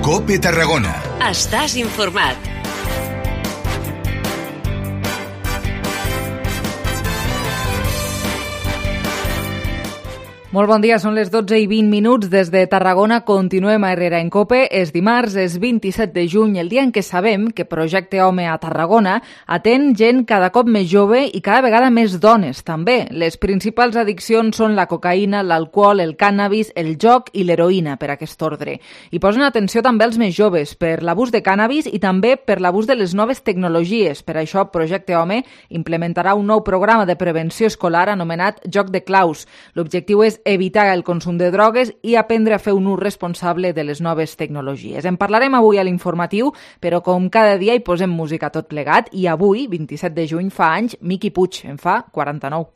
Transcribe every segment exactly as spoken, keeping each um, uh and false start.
COPE Tarragona. Estàs informat. Molt bon dia, són les dotze i vint minuts des de Tarragona. Continuem a Herrera en COPE. És dimarts, és vint-i-set de juny, el dia en què sabem que Projecte Home a Tarragona atén gent cada cop més jove i cada vegada més dones, també. Les principals addiccions són la cocaïna, l'alcohol, el cànnabis, el joc i l'heroïna, per aquest ordre. I posen atenció també als més joves per l'abús de cànnabis i també per l'abús de les noves tecnologies. Per això, Projecte Home implementarà un nou programa de prevenció escolar anomenat Joc de Claus. L'objectiu és evitar el consum de drogues i aprendre a fer un ús responsable de les noves tecnologies. En parlarem avui a l'informatiu, però com cada dia hi posem música tot plegat i avui, vint-i-set de juny, fa anys, Miqui Puig, en fa quaranta-nou.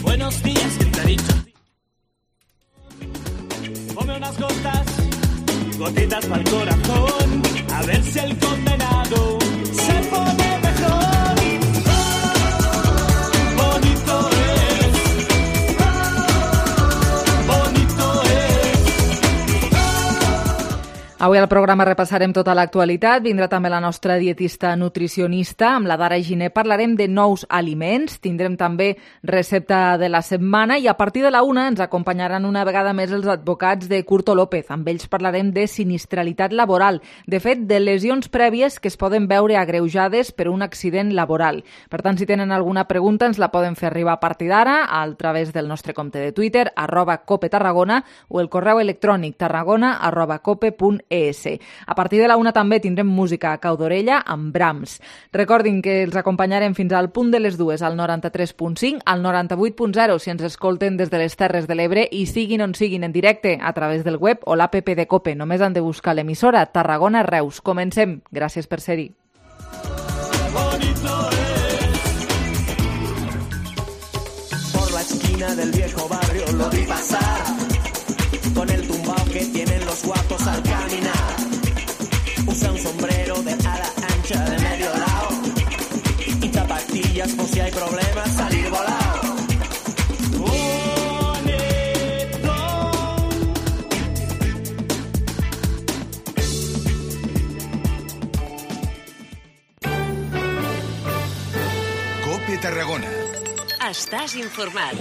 Buenos días, ¿quién te ha dicho? Ponme unas gotas, gotitas pa'l corazón, a ver si el condenado se pone mejor. Avui al programa repassarem tota l'actualitat. Vindrà també la nostra dietista nutricionista. Amb la Dara Giner parlarem de nous aliments. Tindrem també recepta de la setmana i a partir de la una ens acompanyaran una vegada més els advocats de Curto López. Amb ells parlarem de sinistralitat laboral. De fet, de lesions prèvies que es poden veure agreujades per un accident laboral. Per tant, si tenen alguna pregunta, ens la poden fer arribar a partir d'ara a través del nostre compte de Twitter, arroba cope tarragona, o el correu electrònic tarragona arroba cope punt es. A partir de la una també tindrem música a cau d'orella amb Brahms. Recordin que els acompanyarem fins al punt de les dues al noranta-tres punt cinc, al noranta-vuit punt zero si ens escolten des de les Terres de l'Ebre i siguin on siguin en directe a través del web o l'app de COPE. Només han de buscar l'emissora Tarragona Reus. Comencem. Gràcies per ser-hi. Por la esquina del viejo barrio lo vi pasar con el tumbao que tienen los guapos al caminar. Usa un sombrero de ala ancha de medio lado y zapatillas por si hay problemas salir volado. Bonito. COPE Tarragona. Estàs informat.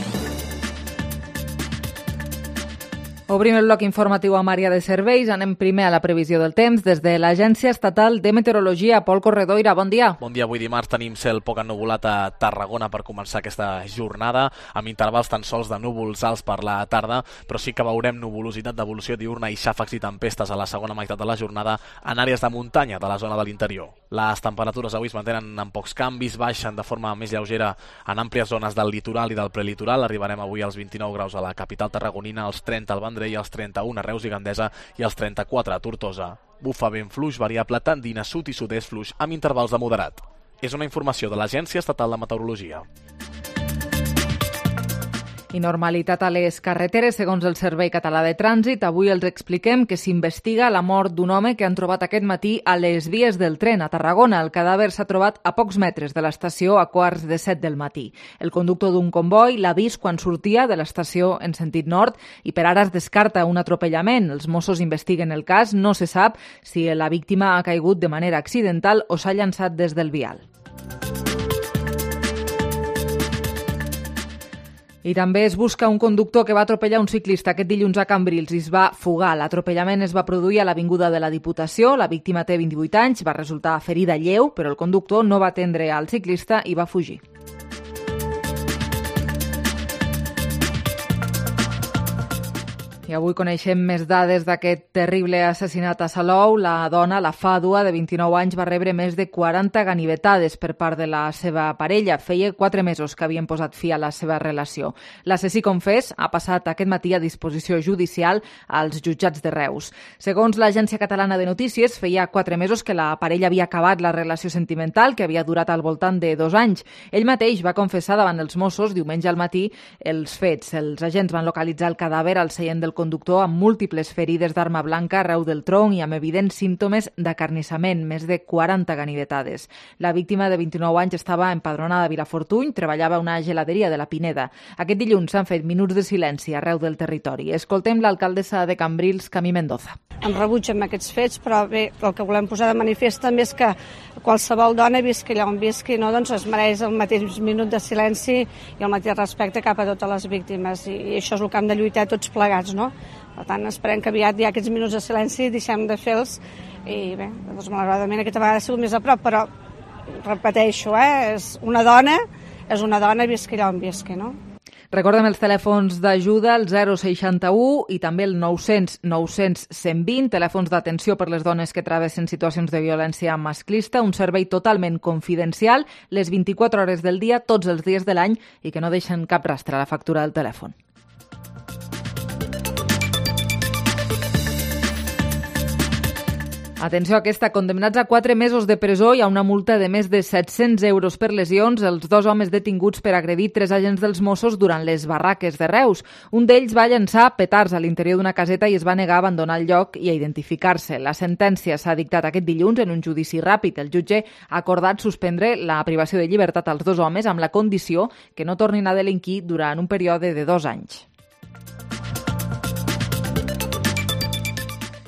Obrim el bloc informatiu amb àrea de serveis. Anem primer a la previsió del temps. Des de l'Agència Estatal de Meteorologia, Pol Corredoira, bon dia. Bon dia. Avui dimarts tenim cel poc ennuvolat a Tarragona per començar aquesta jornada, amb intervals tan sols de núvols alts per la tarda, però sí que veurem nuvolositat d'evolució diurna i xàfecs i tempestes a la segona meitat de la jornada en àrees de muntanya de la zona de l'interior. Les temperatures avui es mantenen amb pocs canvis, baixen de forma més lleugera en àmplies zones del litoral i del prelitoral. Arribarem avui als vint-i-nou graus a la capital tarragonina, als trenta al Vendrell, i als trenta-un a Reus i Gandesa i als trenta-quatre a Tortosa. Bufa vent fluix variable tendint a sud i sud-est fluix amb intervals de moderat. És una informació de l'Agència Estatal de Meteorologia. I normalitat a les carreteres, segons el Servei Català de Trànsit. Avui els expliquem que s'investiga la mort d'un home que han trobat aquest matí a les vies del tren a Tarragona. El cadàver s'ha trobat a pocs metres de l'estació a quarts de set del matí. El conductor d'un comboi l'ha vist quan sortia de l'estació en sentit nord i per ara es descarta un atropellament. Els Mossos investiguen el cas. No se sap si la víctima ha caigut de manera accidental o s'ha llançat des del vial. I també es busca un conductor que va atropellar un ciclista aquest dilluns a Cambrils i es va fugar. L'atropellament es va produir a l'Avinguda de la Diputació. La víctima té vint-i-vuit anys, va resultar ferida lleu, però el conductor no va atendre al ciclista i va fugir. I avui coneixem més dades d'aquest terrible assassinat a Salou. La dona, la Fàdua, de vint-i-nou anys, va rebre més de quaranta ganivetades per part de la seva parella. Feia quatre mesos que havien posat fi a la seva relació. L'assassí confés ha passat aquest matí a disposició judicial als jutjats de Reus. Segons l'Agència Catalana de Notícies, feia quatre mesos que la parella havia acabat la relació sentimental, que havia durat al voltant de dos anys. Ell mateix va confessar davant els Mossos diumenge al matí els fets. Els agents van localitzar el cadàver al seient del conductor amb múltiples ferides d'arma blanca arreu del tronc i amb evidents símptomes d'acarnissament, més de quaranta ganivetades. La víctima de vint-i-nou anys estava empadronada a Vilafortuny, treballava a una geladeria de la Pineda. Aquest dilluns s'han fet minuts de silenci arreu del territori. Escoltem l'alcaldessa de Cambrils, Camí Mendoza. Em rebutgen aquests fets, però bé, el que volem posar de manifest també és que qualsevol dona, visqui allà on visqui, no, doncs es mereix el mateix minut de silenci i el mateix respecte cap a totes les víctimes. I això és el que hem de lluitar tots plegats, no? Per tant, esperem que aviat hi ha aquests minuts de silenci, deixem de fer-los i bé, doncs malauradament aquesta vegada ha sigut més a prop, però repeteixo, eh, és una dona, és una dona visqui allà on visqui, no? Recordem els telèfons d'ajuda, el zero seixanta-u i també el nou cents nou cents cent vint, telèfons d'atenció per les dones que travessen situacions de violència masclista, un servei totalment confidencial, les vint-i-quatre hores del dia, tots els dies de l'any i que no deixen cap rastre a la factura del telèfon. Atenció a aquesta, condemnats a quatre mesos de presó i a una multa de més de set-cents euros per lesions, els dos homes detinguts per agredir tres agents dels Mossos durant les barraques de Reus. Un d'ells va llançar petards a l'interior d'una caseta i es va negar a abandonar el lloc i a identificar-se. La sentència s'ha dictat aquest dilluns en un judici ràpid. El jutge ha acordat suspendre la privació de llibertat als dos homes amb la condició que no tornin a delinquir durant un període de dos anys.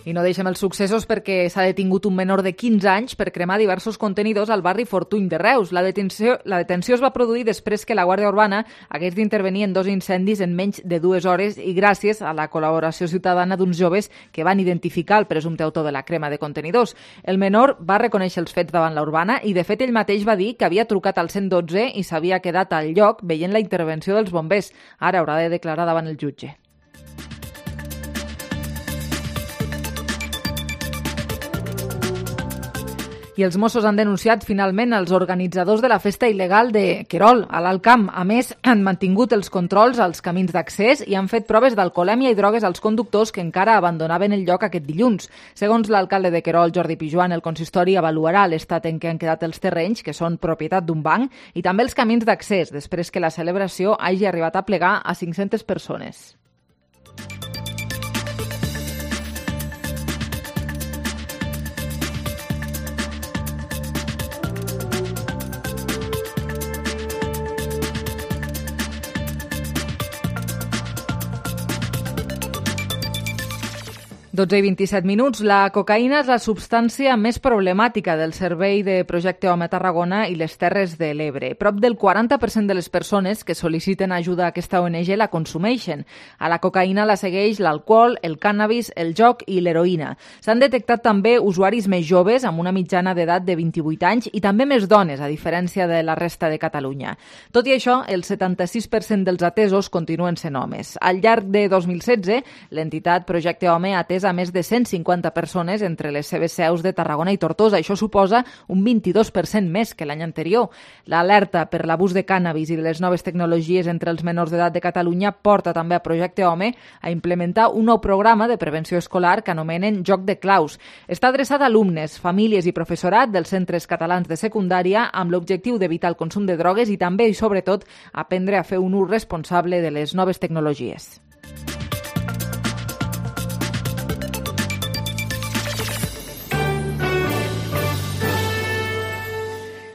I no deixem els successos perquè s'ha detingut un menor de quinze anys per cremar diversos contenidors al barri Fortuny de Reus. La detenció, la detenció es va produir després que la Guàrdia Urbana hagués d'intervenir en dos incendis en menys de dues hores i gràcies a la col·laboració ciutadana d'uns joves que van identificar el presumpte autor de la crema de contenidors. El menor va reconèixer els fets davant la Urbana i, de fet, ell mateix va dir que havia trucat al cent dotze i s'havia quedat al lloc veient la intervenció dels bombers. Ara haurà de declarar davant el jutge. I els Mossos han denunciat finalment els organitzadors de la festa il·legal de Querol, a l'Alt Camp. A més, han mantingut els controls als camins d'accés i han fet proves d'alcoholèmia i drogues als conductors que encara abandonaven el lloc aquest dilluns. Segons l'alcalde de Querol, Jordi Pijuan, el consistori avaluarà l'estat en què han quedat els terrenys, que són propietat d'un banc, i també els camins d'accés, després que la celebració hagi arribat a plegar a cinc-centes persones. dotze i vint-i-set minuts. La cocaïna és la substància més problemàtica del servei de Projecte Home a Tarragona i les Terres de l'Ebre. Prop del quaranta per cent de les persones que sol·liciten ajuda a aquesta O N G la consumeixen. A la cocaïna la segueix l'alcohol, el cànnabis, el joc i l'heroïna. S'han detectat també usuaris més joves amb una mitjana d'edat de vint-i-vuit anys i també més dones, a diferència de la resta de Catalunya. Tot i això, el setanta-sis per cent dels atesos continuen sent homes. Al llarg de dos mil setze, l'entitat Projecte Home ha atès a més de cent cinquanta persones entre les seves seus de Tarragona i Tortosa. Això suposa un vint-i-dos per cent més que l'any anterior. L'alerta per l'abús de cànnabis i de les noves tecnologies entre els menors d'edat de Catalunya porta també a Projecte Home a implementar un nou programa de prevenció escolar que anomenen Joc de Claus. Està adreçat a alumnes, famílies i professorat dels centres catalans de secundària amb l'objectiu d'evitar el consum de drogues i també i sobretot aprendre a fer un ús responsable de les noves tecnologies.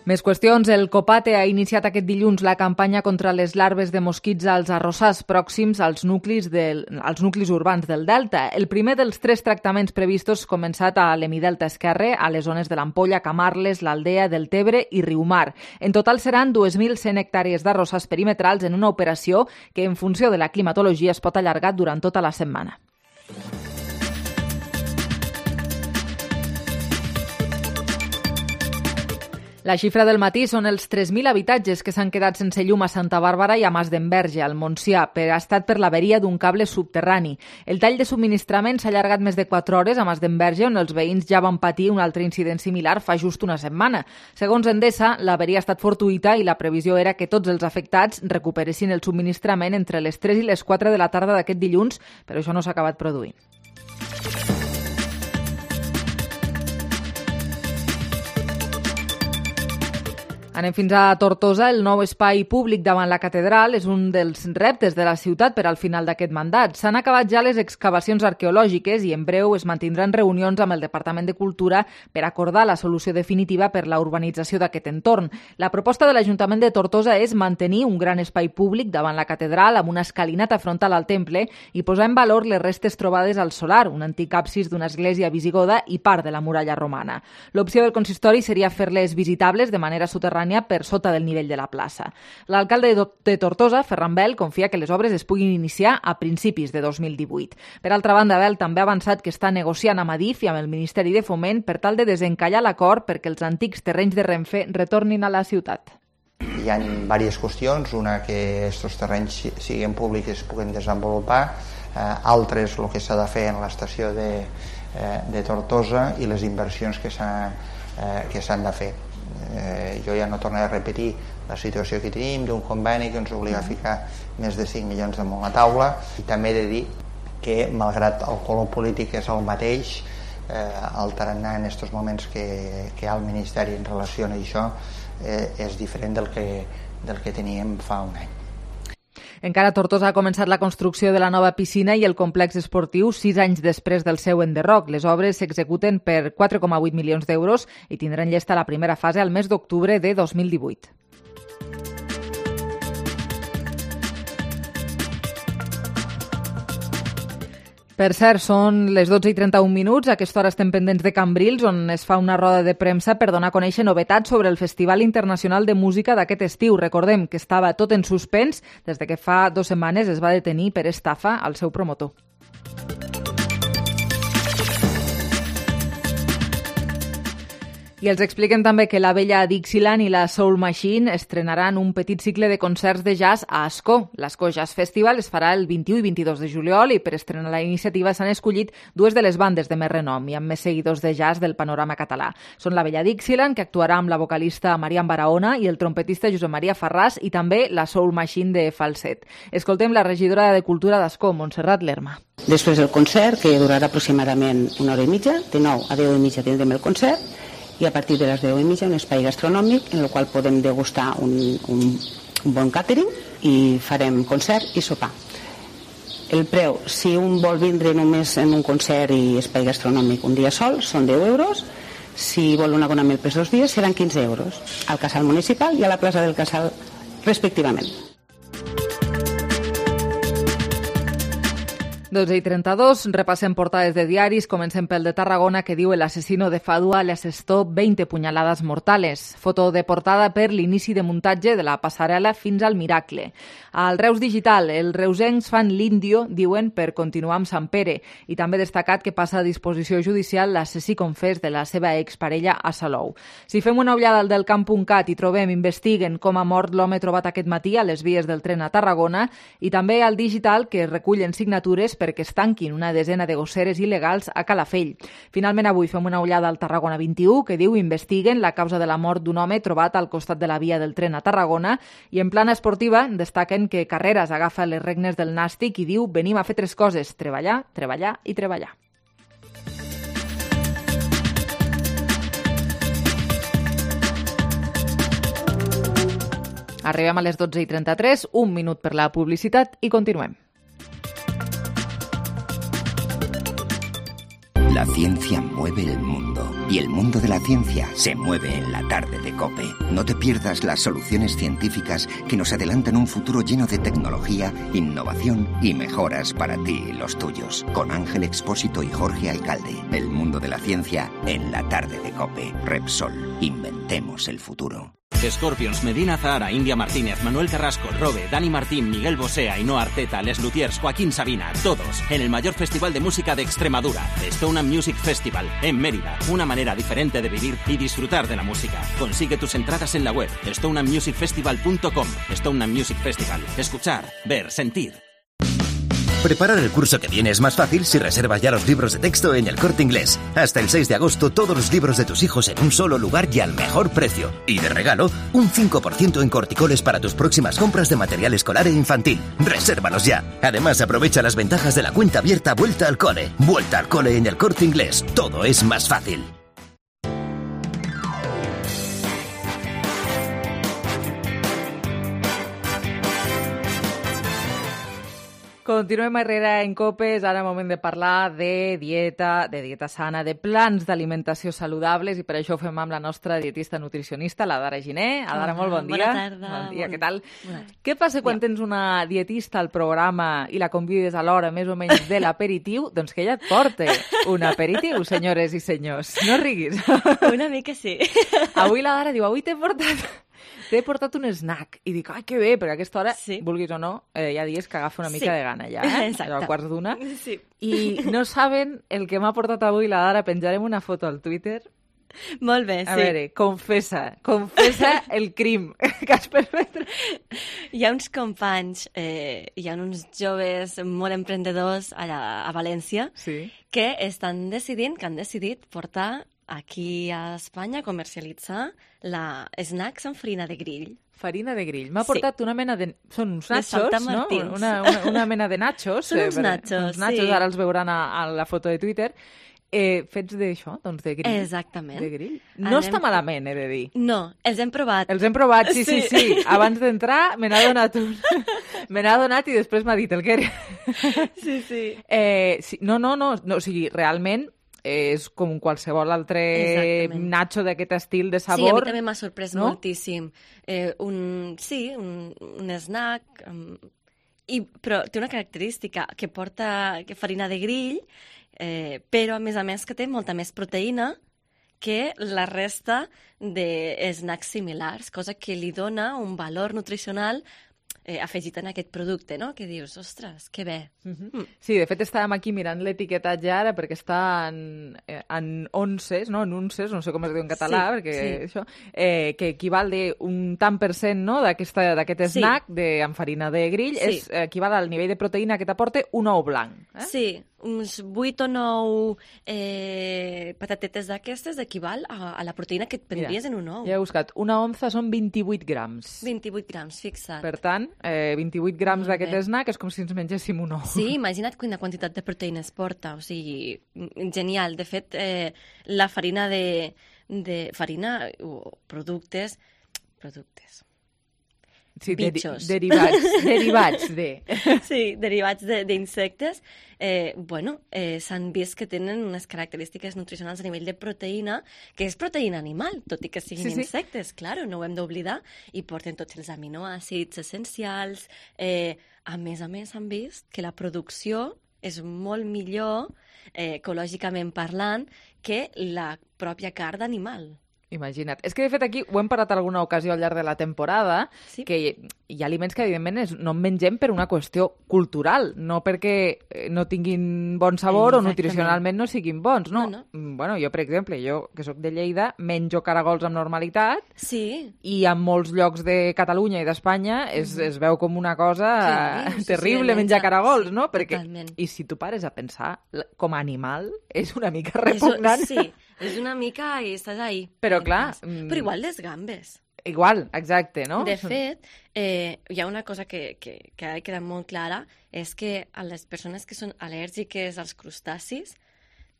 Més qüestions. El Copate ha iniciat aquest dilluns la campanya contra les larves de mosquits als arrossars pròxims als nuclis, del, als nuclis urbans del Delta. El primer dels tres tractaments previstos ha començat a l'Hemidelta esquerre, a les zones de l'Ampolla, Camarles, l'Aldea, del Tebre i Riumar. En total seran dos mil cent hectàrees d'arrossars perimetrals en una operació que, en funció de la climatologia, es pot allargar durant tota la setmana. La xifra del matí són els tres mil habitatges que s'han quedat sense llum a Santa Bàrbara i a Masdenverge, al Montsià, per ha estat per l'averia d'un cable subterrani. El tall de subministrament s'ha allargat més de quatre hores a Masdenverge, on els veïns ja van patir un altre incident similar fa just una setmana. Segons Endesa, l'averia ha estat fortuïta i la previsió era que tots els afectats recuperessin el subministrament entre les tres i les quatre de la tarda d'aquest dilluns, però això no s'ha acabat produint. Anem fins a Tortosa. El nou espai públic davant la catedral és un dels reptes de la ciutat per al final d'aquest mandat. S'han acabat ja les excavacions arqueològiques i en breu es mantindran reunions amb el Departament de Cultura per acordar la solució definitiva per la urbanització d'aquest entorn. La proposta de l'Ajuntament de Tortosa és mantenir un gran espai públic davant la catedral amb una escalinata frontal al temple i posar en valor les restes trobades al solar, un antic absis d'una església visigoda i part de la muralla romana. L'opció del consistori seria fer-les visitables de manera soterrània per sota del nivell de la plaça. L'alcalde de Tortosa, Ferran Bel, confia que les obres es puguin iniciar a principis de dos mil divuit. Per altra banda, Bel també ha avançat que està negociant amb Adif i amb el Ministeri de Foment per tal de desencallar l'acord perquè els antics terrenys de Renfe retornin a la ciutat. Hi ha diverses qüestions, una que aquests terrenys siguin públics i es puguin desenvolupar, eh, altres el que s'ha de fer en l'estació de, eh, de Tortosa i les inversions que s'han eh, que s'han de fer. Eh, jo ja no tornaré a repetir la situació que tenim d'un conveni que ens obliga a ficar més de cinc milions damunt la taula, i també he de dir que malgrat el color polític és el mateix, eh, el tarannà en aquests moments que, que hi ha al Ministeri en relació a això eh, és diferent del que, del que teníem fa un any. Encara a Tortosa ha començat la construcció de la nova piscina i el complex esportiu sis anys després del seu enderroc. Les obres s'executen per quatre coma vuit milions d'euros i tindran llesta la primera fase al mes d'octubre de dos mil divuit. Per cert, són les dotze i trenta-un minuts. A aquesta hora estem pendents de Cambrils, on es fa una roda de premsa per donar a conèixer novetats sobre el Festival Internacional de Música d'aquest estiu. Recordem que estava tot en suspens des de que fa dues setmanes es va detenir per estafa al seu promotor. I els expliquem també que la vella Dixieland i la Soul Machine estrenaran un petit cicle de concerts de jazz a Ascó. L'Ascó Jazz Festival es farà el vint-i-u i vint-i-dos de juliol i per estrenar la iniciativa s'han escollit dues de les bandes de més renom i amb més seguidors de jazz del panorama català. Són la vella Dixieland, que actuarà amb la vocalista Marian Barahona i el trompetista Josep Maria Farràs, i també la Soul Machine de falset. Escoltem la regidora de Cultura d'Ascó, Montserrat Lerma. Després del concert, que durarà aproximadament una hora i mitja, de nou a deu i mitja tindrem el concert, i a partir de les deu i mitja un espai gastronòmic en el qual podem degustar un, un, un bon càtering i farem concert i sopar. El preu, si un vol vindre només en un concert i espai gastronòmic un dia sol, són deu euros. Si vol un abonament per dos dies, seran quinze euros, al Casal Municipal i a la plaça del Casal, respectivament. dotze i trenta-dos, repassem portades de diaris, comencem pel de Tarragona, que diu: el asesino de Fadua le asestó veinte puñaladas mortales. Foto de portada per l'inici de muntatge de la passarel·la fins al Miracle. Al Reus Digital, els reusencs fan l'índio, diuen, per continuar amb Sant Pere, i també destacat que passa a disposició judicial l'assassí confés de la seva exparella a Salou. Si fem una ullada al del camp punt cat i trobem investiguen com ha mort l'home trobat aquest matí a les vies del tren a Tarragona, i també al Digital, que recullen signatures perquè es tanquin una desena de gosseres il·legals a Calafell. Finalment, avui fem una ullada al Tarragona vint-i-u, que diu: investiguen la causa de la mort d'un home trobat al costat de la via del tren a Tarragona, i en plana esportiva destaquen que Carreras agafa les regnes del Nàstic i diu: venim a fer tres coses, treballar, treballar i treballar. Arribem a les dotze i trenta-tres, un minut per la publicitat i continuem. La ciencia mueve el mundo y el mundo de la ciencia se mueve en la tarde de COPE. No te pierdas las soluciones científicas que nos adelantan un futuro lleno de tecnología, innovación y mejoras para ti y los tuyos. Con Ángel Expósito y Jorge Alcalde. El mundo de la ciencia en la tarde de COPE. Repsol. Inventemos el futuro. Scorpions, Medina Zahara, India Martínez, Manuel Carrasco, Robe, Dani Martín, Miguel Bosé, Ainhoa Arteta, Les Luthiers, Joaquín Sabina, todos en el mayor festival de música de Extremadura, Stone Music Festival, en Mérida. Una manera diferente de vivir y disfrutar de la música. Consigue tus entradas en la web stone music festival punto com. Stone Music Festival. Escuchar, ver, sentir. Preparar el curso que viene es más fácil si reservas ya los libros de texto en El Corte Inglés. Hasta el seis de agosto, todos los libros de tus hijos en un solo lugar y al mejor precio. Y de regalo, un cinco por ciento en corticoles para tus próximas compras de material escolar e infantil. ¡Resérvalos ya! Además, aprovecha las ventajas de la cuenta abierta Vuelta al Cole. Vuelta al Cole en El Corte Inglés. Todo es más fácil. Continuem a Herrera en Copes, ara moment de parlar de dieta, de dieta sana, de plans d'alimentació saludables, i per això ho fem amb la nostra dietista nutricionista, la Dara Giner. Adara, molt bon dia. Bona tarda. Bon dia, bon... què tal? Bona... Què passa quan tens una dietista al programa i la convides a l'hora més o menys de l'aperitiu? Doncs que ella et porta un aperitiu, senyores i senyors. No riguis. Una mica sí. Avui la Dara diu, avui t'he portat... T'he portat un snack. I dic, ai, que bé, perquè a aquesta hora, sí. vulguis o no, eh, hi ha dies que agafa una mica sí. de gana ja, eh? Exacte. Allò a quarts d'una. Sí. I no saben el que m'ha portat avui la Dara. Penjarem una foto al Twitter. Molt bé, a sí. A veure, confessa, confessa el crim que has perpetrat. Hi ha uns companys, eh, hi ha uns joves molt emprendedors allà a València sí. que estan decidint, que han decidit portar aquí a Espanya comercialitzar la snacks amb farina de grill. Farina de grill. M'ha portat sí. una mena de... Són uns de nachos, no? Una, una, una mena de nachos. Són uns nachos, uns nachos, sí. Ara els veuran a, a la foto de Twitter. Eh, fets d'això, doncs de grill. Exactament. De grill. No Anem... està malament, he de dir. No, els hem provat. Els hem provat, sí, sí, sí. sí. Abans d'entrar me n'ha donat un... me n'ha donat i després m'ha dit el que era. Sí, sí. Eh, sí. No, no, no, no. O sigui, realment és com qualsevol altre Exactament. nacho d'aquest estil de sabor. Sí, a mi també m'ha sorprès no? moltíssim. Eh, un, sí, un, un snack, um, i, però té una característica que porta que farina de grill, eh, però a més a més que té molta més proteïna que la resta de snacks similars, cosa que li dona un valor nutricional Eh, afegit en aquest producte, no? Que dius, ostres, que bé. Uh-huh. mm. Sí, de fet estàvem aquí mirant l'etiquetatge ara perquè està en, en onces, no? En unces, no sé com es diu en català, sí, perquè sí. això, eh, que equival de un tant per cent, no? d'aquest sí. snack de, amb farina de grill, sí. és, equival al nivell de proteïna que t'aporta un ou blanc. Eh? Sí, uns vuit o nou eh, patatetes d'aquestes equival a, a la proteïna que et prendries Mira, en un ou. Ja he buscat. Una onza són vint-i-vuit grams. vint-i-vuit grams, fixa't. Per tant, eh, vint-i-vuit grams d'aquest snack és com si ens mengéssim un ou. Sí, imagina't quina quantitat de proteïna es porta. O sigui, genial. De fet, eh, la farina de, de farina o productes... productes... Sí, bitxos. Deri derivats, derivats de... Sí, derivats d'insectes. De, eh, bueno, eh, s'han vist que tenen unes característiques nutricionals a nivell de proteïna, que és proteïna animal, tot i que siguin sí, sí. insectes, claro, no ho hem d'oblidar, i porten tots els aminoàcids essencials. Eh, a més a més, han vist que la producció és molt millor, eh, ecològicament parlant, que la pròpia carn d'animal. Imagina't. És que, de fet, aquí ho hem parlat alguna ocasió al llarg de la temporada, sí. que hi, hi ha aliments que, evidentment, és, no en mengem per una qüestió cultural, no perquè no tinguin bon sabor Exactament. o nutricionalment no siguin bons, no? no, no. Bueno, jo, per exemple, jo, que sóc de Lleida, menjo caragols amb normalitat, sí. i en molts llocs de Catalunya i d'Espanya es, mm. es veu com una cosa sí, terrible sí, sí, menjar caragols, sí, no? Perquè, totalment. I si tu pares a pensar, com a animal, és una mica repugnant. És, sí, és una mica i estàs ahí. Però clar... Mm, Però igual les gambes. Igual, exacte, no? De fet, eh, hi ha una cosa que, que, que ha quedat molt clara, és que a les persones que són al·lèrgiques als crustacis,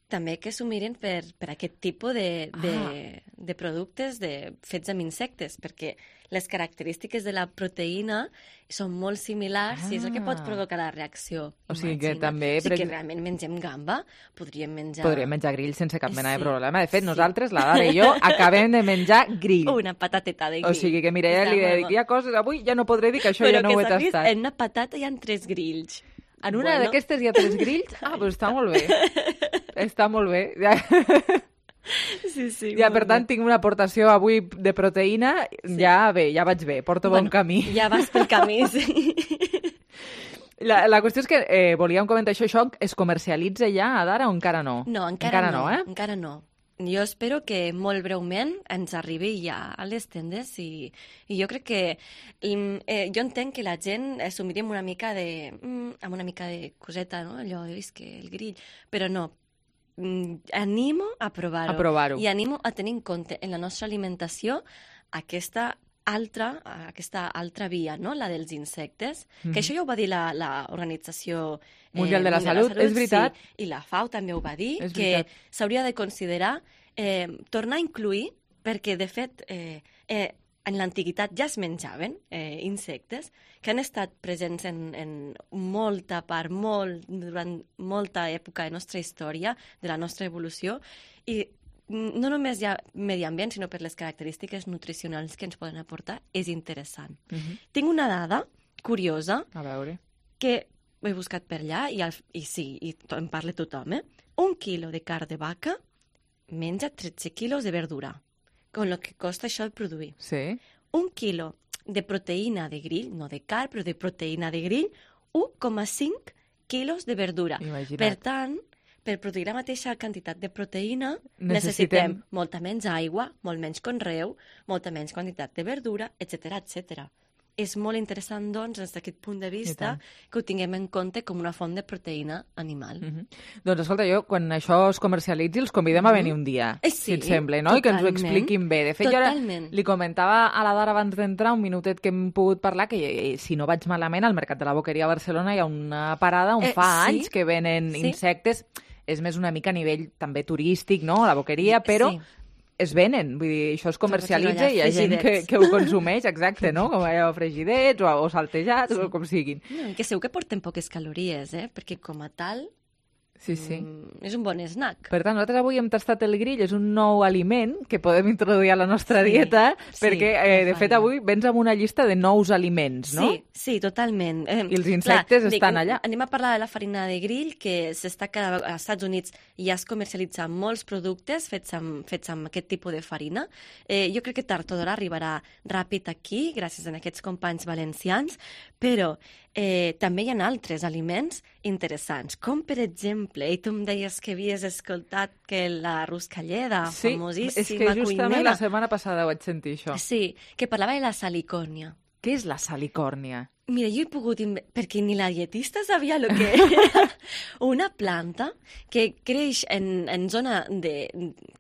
també que s'ho miren per, per aquest tipus de, de, ah. de productes de, fets amb insectes, perquè les característiques de la proteïna són molt similars ah. i és el que pot provocar la reacció. O sigui que també... O sigui que realment mengem gamba, podríem menjar... Podríem menjar grill sense cap mena sí. de problema. De fet, sí. nosaltres, la Dara i jo, acabem de menjar grill. Una patateta de grill. O sigui que, mira, ja li dic, hi ha coses, avui ja no podré dir que això Però ja no ho he tastat. Però que s'ha vist, en una patata hi ha tres grills. En una bueno. d'aquestes hi ha tres grills? Ah, doncs està molt bé. Està molt bé. Ja. Sí, sí. Ja, per tant, bé. tinc una aportació avui de proteïna. Sí. Ja bé, ja vaig bé, porto bueno, bon camí. Ja vas pel camí, sí. La, la qüestió és que eh, volíem comentar això, això es comercialitza ja a Dara o encara no? No, encara, encara no, no, eh? encara no. Jo espero que molt breument ens arribi ja a les tendes i, i jo crec que... Eh, jo entenc que la gent s'ho miri amb una mica de... Mm, amb una mica de coseta, no? Allò, he vist que el grill... Però no, mm, animo a provar-ho. A provar-ho. I animo a tenir en compte en la nostra alimentació aquesta altra, aquesta altra via, no? La dels insectes, mm. que això ja ho va dir l'Organització eh, Mundial de la Salut, és veritat. Sí, i la FAO també ho va dir, és que veritat. s'hauria de considerar eh, tornar a incluir, perquè, de fet, eh, eh, en l'antiguitat ja es menjaven eh, insectes, que han estat presents en, en molta part, molt, durant molta època de la nostra història, de la nostra evolució, i no només hi ha medi ambient, sinó per les característiques nutricionals que ens poden aportar, és interessant. Uh-huh. Tinc una dada curiosa, a veure, que he buscat per allà, i, al, i sí, i to, en parla tothom, eh? Un quilo de carn de vaca menja tretze quilos de verdura, con lo que costa això de produir. Sí. Un quilo de proteïna de grill, no de carn, però de proteïna de grill, u coma cinc quilos de verdura. Imagina't. Per tant, per produir la mateixa quantitat de proteïna, necessitem, Necessitem molta menys aigua, molt menys conreu, molta menys quantitat de verdura, etcètera, etcètera. És molt interessant, doncs, des d'aquest punt de vista, que ho tinguem en compte com una font de proteïna animal. Mm-hmm. Doncs, escolta, jo, quan això es comercialitzi, els convidem a venir un dia, eh, sí, si et sembla, no? I que ens ho expliquin bé. De fet, totalment. Jo ara li comentava a la Dara abans d'entrar, un minutet que hem pogut parlar, que eh, si no vaig malament, al Mercat de la Boqueria a Barcelona hi ha una parada on eh, fa sí? anys que venen sí? insectes. És més una mica a nivell també turístic, no?, la Boqueria, però... Sí. Es venen, vull dir, això es comercialitza i hi ha gent que, que ho consumeix, exacte, no? Com allò fregidets o, o saltejats, sí. o com siguin. No, que segur que porten poques calories, eh? Perquè com a tal... Sí, sí. Mm, és un bon snack. Per tant, nosaltres avui hem tastat el grill, és un nou aliment que podem introduir a la nostra sí, dieta, perquè, sí, eh, de fet, avui vens amb una llista de nous aliments, no? Sí, sí, totalment. Eh, I els insectes clar, estan dic, allà. Anem a parlar de la farina de grill, que s'està cada... als Estats Units ja es comercialitzen molts productes fets amb, fets amb aquest tipus de farina. Eh, jo crec que tard o d'hora arribarà ràpid aquí, gràcies a aquests companys valencians, però eh, també hi ha altres aliments interessants, com per exemple, i tu em deies que havies escoltat que la Ruscalleda, sí, famosíssima és que justament cuinera, la setmana passada vaig sentir això. Sí, que parlava de la salicòrnia. Què és la salicòrnia? Mira, jo he pogut... Inve... perquè ni la dietista sabia el que era. Una planta que creix en, en zona de,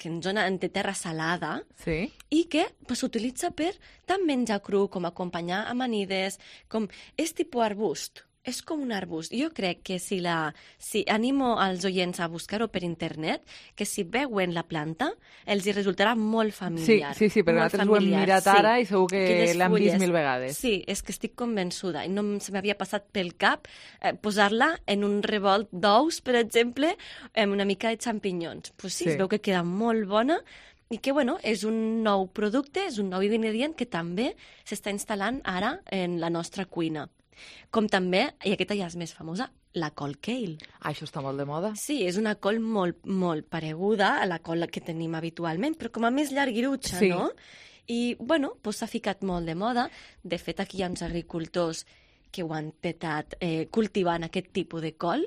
que en zona de terra salada, sí, i que s'utilitza per tant menjar cru com acompanyar amanides, com... és tipus arbust. És com un arbust. Jo crec que si la... si animo als oients a buscar-ho per internet, que si veuen la planta, els hi resultarà molt familiar. Sí, sí, sí, perquè nosaltres ho hem mirat ara sí. i segur que l'hem vist mil vegades. Sí, és que estic convençuda. I no se m'havia passat pel cap eh, posar-la en un revolt d'ous, per exemple, amb una mica de xampinyons. Pues sí, sí, es veu que queda molt bona i que, bueno, és un nou producte, és un nou ingredient que també s'està instal·lant ara en la nostra cuina. Com també, i aquesta ja és més famosa, la col kale. Ah, això està molt de moda. Sí, és una col molt, molt pareguda a la col que tenim habitualment, però com a més llarguirutxa, sí. no? I, bueno, doncs s'ha ficat molt de moda. De fet, aquí hi ha uns agricultors que ho han petat eh, cultivant aquest tipus de col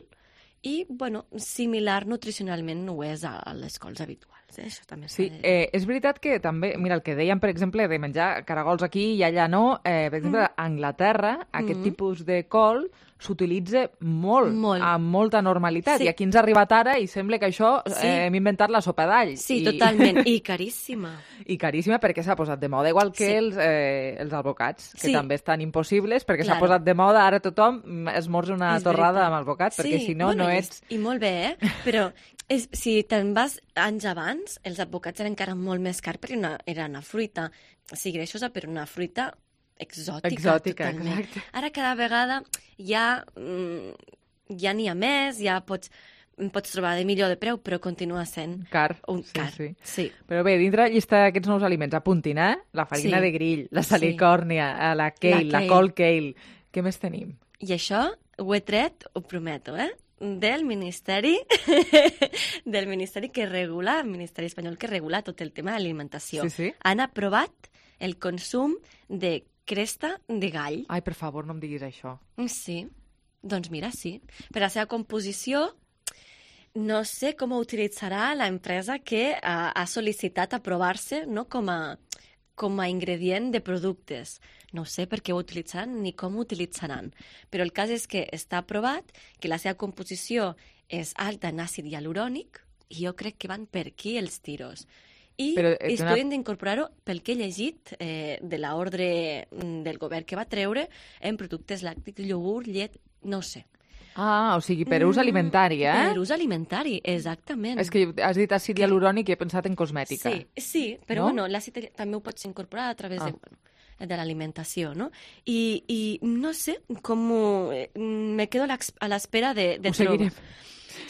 i, bueno, similar nutricionalment no ho és a, a les cols habituals. Eh? Això també sí, eh, és veritat que també, mira, el que dèiem, per exemple, de menjar caragols aquí i allà no, eh, per exemple, mm. a Anglaterra, aquest mm. tipus de col s'utilitza molt, molt, amb molta normalitat. Sí. I aquí ens ha arribat ara i sembla que això sí. eh, hem inventat la sopa d'all. Sí, I... totalment. I caríssima. I caríssima perquè s'ha posat de moda, igual que sí. els, eh, els albocats, que sí. també estan impossibles perquè s'ha posat de moda. Ara tothom esmorza una és torrada veritat. Amb albocat, sí. perquè si no, bueno, no ets... I, I molt bé, eh? Però és, si te'n vas anys abans, els albocats eren encara molt més cars perquè una, era una fruita, sí, greixosa, però una fruita exòtica, exòtica totalment. Exacte. Ara cada vegada ja mm, ja n'hi ha més, ja pots, pots trobar de millor de preu, però continua sent car. Un sí, car. Sí. Sí. Però bé, dintre la llista d'aquests nous aliments, apuntin, eh? La farina sí. de grill, la salicòrnia, sí. la kale, la, la col kale. Què més tenim? I això ho he tret, ho prometo, eh? del Ministeri del Ministeri que regula, el Ministeri espanyol que regula tot el tema d'alimentació. Sí, sí. Han aprovat el consum de cresta de gall. Ai, per favor, no em diguis això. Sí, doncs mira, sí. Per la seva composició, no sé com ho utilitzarà l'empresa que ha, ha sol·licitat aprovar-se, no, com a, com a ingredient de productes. No sé per què ho utilitzaran ni com ho utilitzaran. Però el cas és que està aprovat, que la seva composició és alta en àcid hialurònic, i jo crec que van per aquí els tiros. I Però, eh, estudien una... d'incorporar-ho, pel que he llegit, eh, de l'ordre del govern que va treure en productes làctics, iogurt, llet, no sé. Ah, o sigui, per ús alimentari, eh? Per ús alimentari, exactament. És que has dit àcid hialurònic i he pensat en cosmètica. Sí, sí, però no? Bueno, l'àcid també ho pots incorporar a través ah. de... Bueno, de l'alimentació, no? I, I no sé, com me quedo a l'espera de, de trobar. Ho seguirem.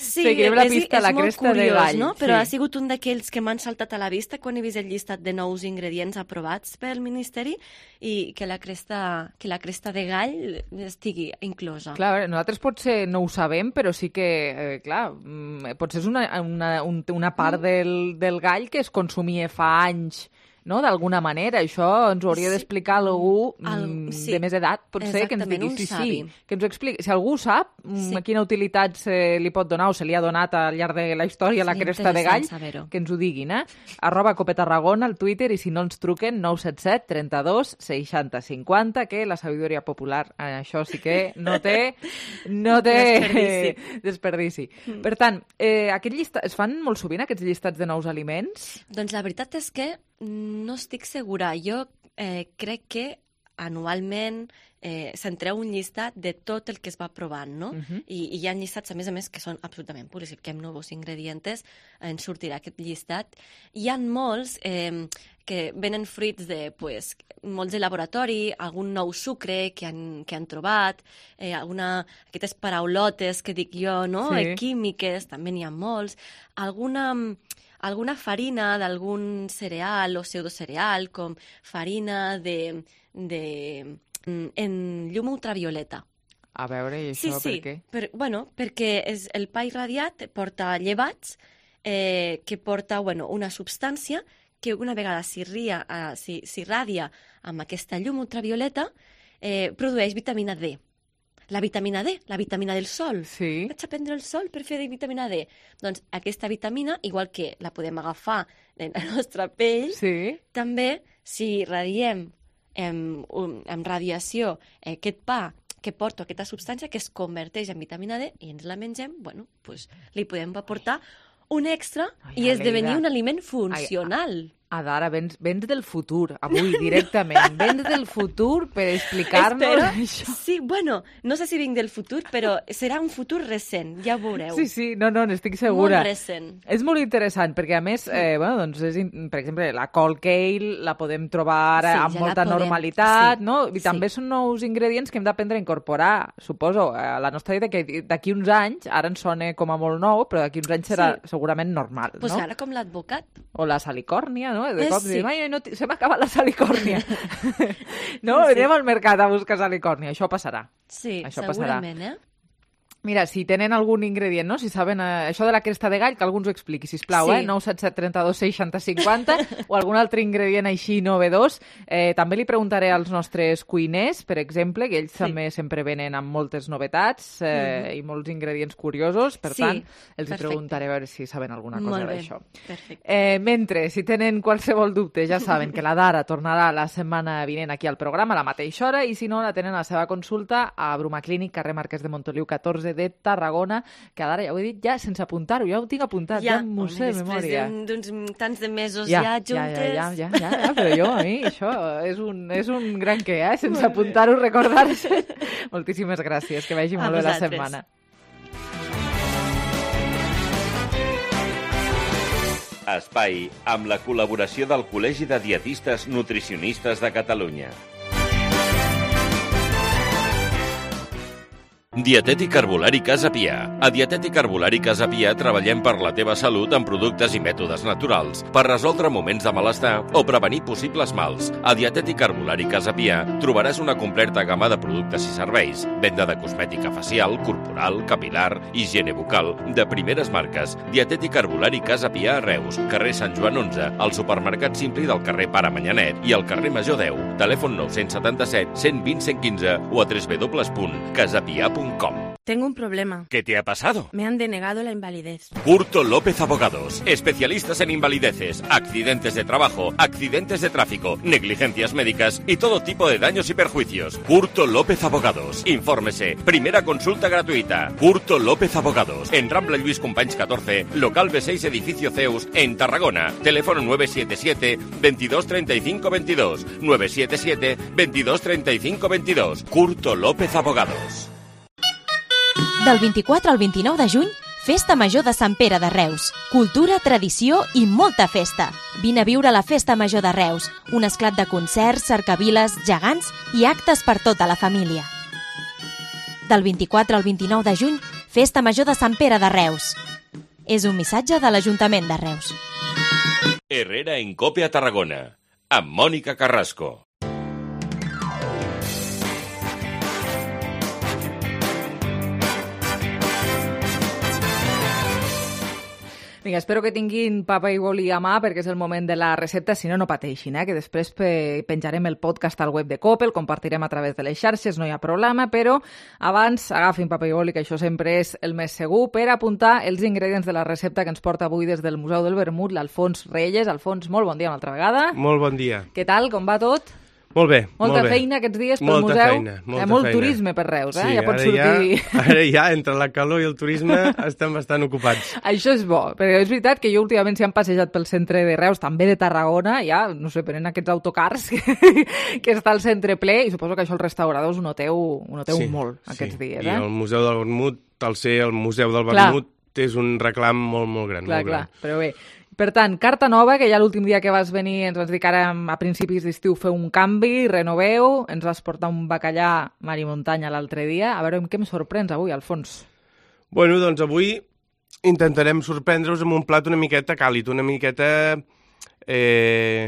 Sí, Seguirem la és, pista és la molt cresta curiós, de gall. No? Però sí. ha sigut un d'aquells que m'han saltat a la vista quan he vist el llistat de nous ingredients aprovats pel Ministeri i que la cresta, que la cresta de gall estigui inclosa. Clar, nosaltres potser no ho sabem, però sí que, eh, clar, potser és una, una, una part del, del gall que es consumia fa anys, no? D'alguna manera. Això ens ho hauria sí. d'explicar algú el, sí. de més edat, potser, que ens digui sí, sí, que ens ho expliqui. Si algú sap sí. quina utilitat se li pot donar o se li ha donat al llarg de la història la cresta de gall, que ens ho diguin, eh? Arroba Cope Tarragona al Twitter i si no ens truquen nou set set trenta dos seixanta cinquanta, que la sabidoria popular això sí que no té no té desperdici. desperdici. Mm. Per tant, eh, aquest llistat, es fan molt sovint aquests llistats de nous aliments? Doncs la veritat és que no estic segura. Jo eh, crec que anualment eh, s'entreu un llistat de tot el que es va provant, no? Uh-huh. I, I hi ha llistats, a més a més, que són absolutament purs. Si fiquem nous ingredients, ens sortirà aquest llistat. Hi ha molts eh, que venen fruits de, pues, molts de laboratori, algun nou sucre que han, que han trobat, eh, alguna, aquestes paraulotes que dic jo, no? Sí. Eh, químiques, també n'hi ha molts. Alguna... alguna farina d'algun cereal o pseudocereal, com farina de, de, en llum ultravioleta. A veure, i això sí, sí, per què? Per, bueno, perquè és, el pa irradiat porta llevats eh, que porta bueno, una substància que una vegada s'irradia si, si amb aquesta llum ultravioleta eh, produeix vitamina D. La vitamina D, la vitamina del sol. Sí. Vaig a prendre el sol per fer de vitamina D. Doncs aquesta vitamina, igual que la podem agafar en la nostra pell, sí. també si radiem amb, amb radiació aquest pa que porta aquesta substància que es converteix en vitamina D i ens la mengem, bueno, pues, li podem aportar un extra Ai, i esdevenir un aliment funcional. Ai, Adara, vens, vens del futur, avui, directament. Vens del futur per explicar-nos això. Sí, bueno, no sé si vinc del futur, però serà un futur recent, ja ho veureu. Sí, sí, no, no, n'estic segura. Molt recent. És molt interessant, perquè a més, eh, bueno, doncs és, per exemple, la cold kale la podem trobar sí, amb ja molta normalitat, sí, no? I sí. també són nous ingredients que hem d'aprendre a incorporar, suposo, a la nostra vida, que d'aquí uns anys, ara ens sona com a molt nou, però d'aquí uns anys serà sí. segurament normal, pues no? Pues ara com l'advocat. O la salicòrnia, no? De cop sí. dius, ai, no, se m'ha acabat la salicòrnia. No, sí. Anem al mercat a buscar salicòrnia. Això passarà. Sí, això segurament, passarà. eh? Mira, si tenen algun ingredient, no? Si saben eh, això de la cresta de gall, que algú ens ho expliqui, sisplau, sí. eh? nou set set trenta dos seixanta cinquanta o algun altre ingredient així novedós. Eh, també li preguntaré als nostres cuiners, per exemple, que ells sí. també sempre venen amb moltes novetats eh, mm. i molts ingredients curiosos, per sí, tant, els perfecte. preguntaré a veure si saben alguna cosa d'això. Perfecte. Eh, mentre, si tenen qualsevol dubte, ja saben que la Dara tornarà la setmana vinent aquí al programa a la mateixa hora i si no, la tenen a la seva consulta a Bruma Clínic, carrer Marquès de Montoliu catorze de Tarragona, que ara ja ho he dit ja sense apuntar-ho, ja ho tinc apuntat, ja, ja m'ho sé de memòria. Després d'uns tants de mesos ja, ja juntes... Ja, ja, ja, ja, ja, però jo, a mi, això és un, és un gran què, eh? Sense apuntar-ho, recordar-se. Moltíssimes gràcies, que vagi molt bé la setmana. Espai amb la col·laboració del Col·legi de Dietistes Nutricionistes de Catalunya. Dietètic Herbolari Casa Pia. A Dietètic Herbolari Casa Pia treballem per la teva salut amb productes i mètodes naturals, per resoldre moments de malestar o prevenir possibles mals. A Dietètic Herbolari Casa Pia trobaràs una completa gamma de productes i serveis, venda de cosmètica facial, corporal, capilar, higiene bucal, de primeres marques. Dietètic Herbolari Casa Pia a Reus, carrer Sant Joan onze, al supermercat Simpli del carrer Pare Manyanet i al carrer Major deu. Telèfon nou setanta set cent vint cent quinze o a w w w punt casapia punt com. Tengo un problema. ¿Qué te ha pasado? Me han denegado la invalidez. Curto López Abogados. Especialistas en invalideces, accidentes de trabajo, accidentes de tráfico, negligencias médicas y todo tipo de daños y perjuicios. Curto López Abogados. Infórmese. Primera consulta gratuita. Curto López Abogados. En Rambla Lluís Companys catorce, local B seis, edificio Zeus, en Tarragona. Teléfono nueve siete siete veintidós treinta y cinco veintidós. nueve siete siete veintidós treinta y cinco veintidós. Curto López Abogados. Del vint-i-quatre al vint-i-nou de juny, Festa Major de Sant Pere de Reus. Cultura, tradició i molta festa. Vine a viure a la Festa Major de Reus, un esclat de concerts, cercaviles, gegants i actes per tota la família. Del vint-i-quatre al vint-i-nou de juny, Festa Major de Sant Pere de Reus. És un missatge de l'Ajuntament de Reus. Herrera en Cope a Tarragona, amb Mònica Carrasco. Vinga, espero que tinguin papa i boli a mà perquè és el moment de la recepta, si no, no pateixin, eh? Que després pe penjarem el podcast al web de Cope, el compartirem a través de les xarxes, no hi ha problema, però abans agafin papa i boli, que això sempre és el més segur, per apuntar els ingredients de la recepta que ens porta avui des del Museu del Vermut, l'Alfons Reyes. Alfons, molt bon dia una altra vegada. Molt bon dia. Què tal, com va tot? Molt bé, molta molt bé. feina aquests dies pel molta museu. Feina, molta Hi ha molt feina. turisme per Reus, eh? Sí, ja pots ara sortir... Ja, ara ja, entre la calor i el turisme, estem bastant ocupats. Això és bo, perquè és veritat que jo últimament si han passejat pel centre de Reus, també de Tarragona, ja, no sé, prenen aquests autocars que, que està al centre ple, i suposo que això els restauradors ho noteu, ho noteu sí, molt aquests sí. dies, I eh? el Museu del Vermut, al ser el Museu del Clar. Vermut, és un reclam molt, molt gran. Clar, molt clar, gran. però bé. Per tant, carta nova, que ja l'últim dia que vas venir ens vas dir que ara a principis d'estiu feu un canvi, renoveu, ens vas portar un bacallà mar i muntanya l'altre dia. A veure amb què em sorprens avui, Alfons. Bueno, doncs avui intentarem sorprendre-us amb un plat una miqueta càlid, una miqueta... Eh,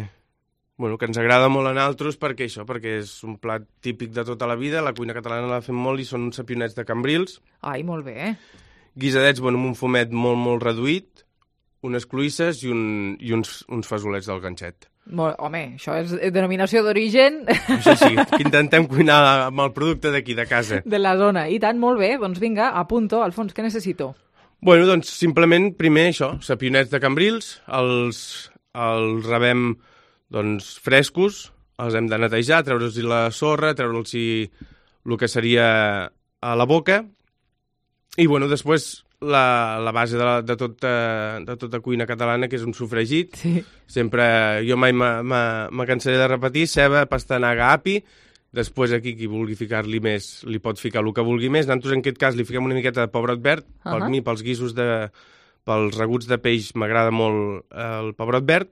bueno, que ens agrada molt a naltros perquè això, perquè és un plat típic de tota la vida, la cuina catalana la fem molt i són uns sapionets de cambrils. Ai, molt bé. Guisadets, bueno, amb un fumet molt, molt reduït, unes cloïsses i, un, i uns, uns fesolets del ganxet. Molt, home, això és denominació d'origen... Sí, sí, que intentem cuinar amb el producte d'aquí, de casa. De la zona. I tant, molt bé. Doncs vinga, apunto. Alfons, què necessito? Bueno, doncs simplement, primer això, sapionets de cambrils, els, els rebem doncs, frescos, els hem de netejar, treure'ls la sorra, treure'ls el que seria a la boca, i bueno, després... La, la base de, la, de, tota, de tota cuina catalana, que és un sofregit. Sí. Sempre, jo mai me cansaré de repetir, ceba, pastanaga, api, després aquí qui vulgui ficar-li més, li pot ficar el que vulgui més. Nosaltres en aquest cas li fiquem una miqueta de pebrot verd, uh -huh. per mi, pels guisos de... pels reguts de peix m'agrada molt el pebrot verd.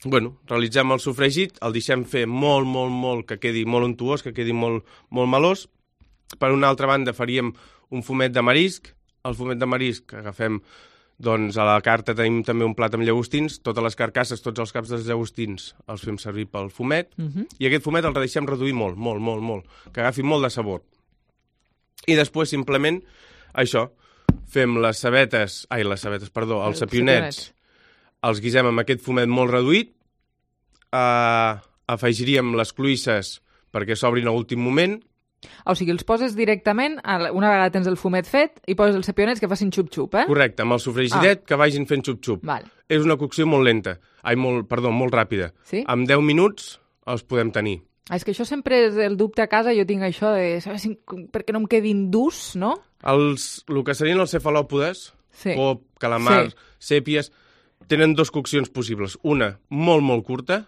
Bueno, realitzem el sofregit, el deixem fer molt, molt, molt, que quedi molt untuós, que quedi molt, molt melós. Per una altra banda faríem un fumet de marisc. El fumet de marisc que agafem, doncs a la carta tenim també un plat amb llagostins, totes les carcasses, tots els caps dels llagostins els fem servir pel fumet, uh -huh. i aquest fumet el deixem reduir molt, molt, molt, molt, que agafi molt de sabor. I després simplement, això, fem les cebetes, ai, les cebetes, perdó, els sapionets, els guisem amb aquest fumet molt reduït, eh, afegiríem les cloïsses perquè s'obrin a l'últim moment. O sigui, els poses directament, una vegada tens el fumet fet, i poses els sapionets que facin xup-xup, eh? Correcte, amb el sofregidet ah. que vagin fent xup-xup. Vale. És una cocció molt lenta, ai, molt, perdó, molt ràpida. Sí? En deu minuts els podem tenir. Ah, és que això sempre és el dubte a casa, jo tinc això de saber si, perquè no em quedin durs, no? Els, el que serien els cefalòpodes, sí. pop, calamar, sí. sèpies, tenen dues coccions possibles. Una molt, molt curta,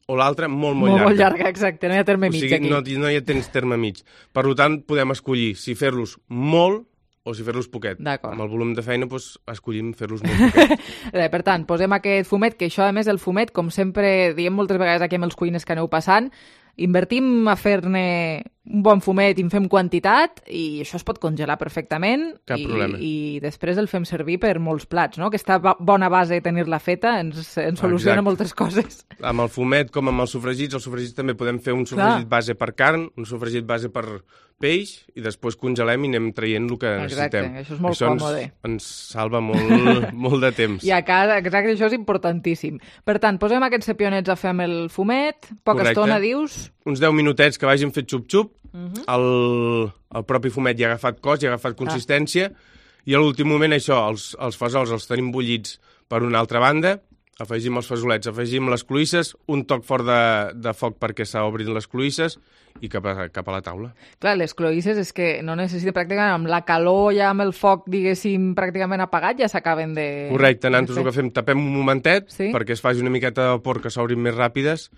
o l'altra molt, molt, molt llarga. Molt llarga, exacte, no hi ha terme mig, o sigui, aquí. No, no hi ha temps terme mig. Per tant, podem escollir si fer-los molt o si fer-los poquet. D'acord. Amb el volum de feina, doncs, escollim fer-los molt poquet. Per tant, posem aquest fumet, que això, a més, el fumet, com sempre diem moltes vegades aquí amb els cuines que aneu passant, invertim a fer-ne un bon fumet i en fem quantitat i això es pot congelar perfectament. Cap i, problema. I després el fem servir per molts plats, no? Aquesta bona base de tenir-la feta ens, ens soluciona Exacte. moltes coses. Amb el fumet com amb els sofregits, els sofregits també podem fer un sofregit Clar. base per carn, un sofregit base per peix i després congelem i anem traient el que Exacte, necessitem. això és molt això còmode. Ens, ens salva molt, molt de temps. I a casa, exacte, això és importantíssim. Per tant, posem aquests sapionets a fer amb el fumet, poca Correcte. estona, dius? Uns deu minutets que vagin fet xup-xup, Uh -huh. el, el propi fumet ja ha agafat cos, ja ha agafat consistència, ah. i a l'últim moment això, els, els fesols els tenim bullits per una altra banda, afegim els fesolets, afegim les cloïsses, un toc fort de, de foc perquè s'obrin les cloïsses i cap a, cap a la taula. Clar, les cloïsses és que no necessiten pràcticament, amb la calor ja amb el foc, diguéssim, pràcticament apagat, ja s'acaben de... Correcte, nosaltres el que fem, tapem un momentet sí? perquè es faci una miqueta de vapor que s'obrin més ràpides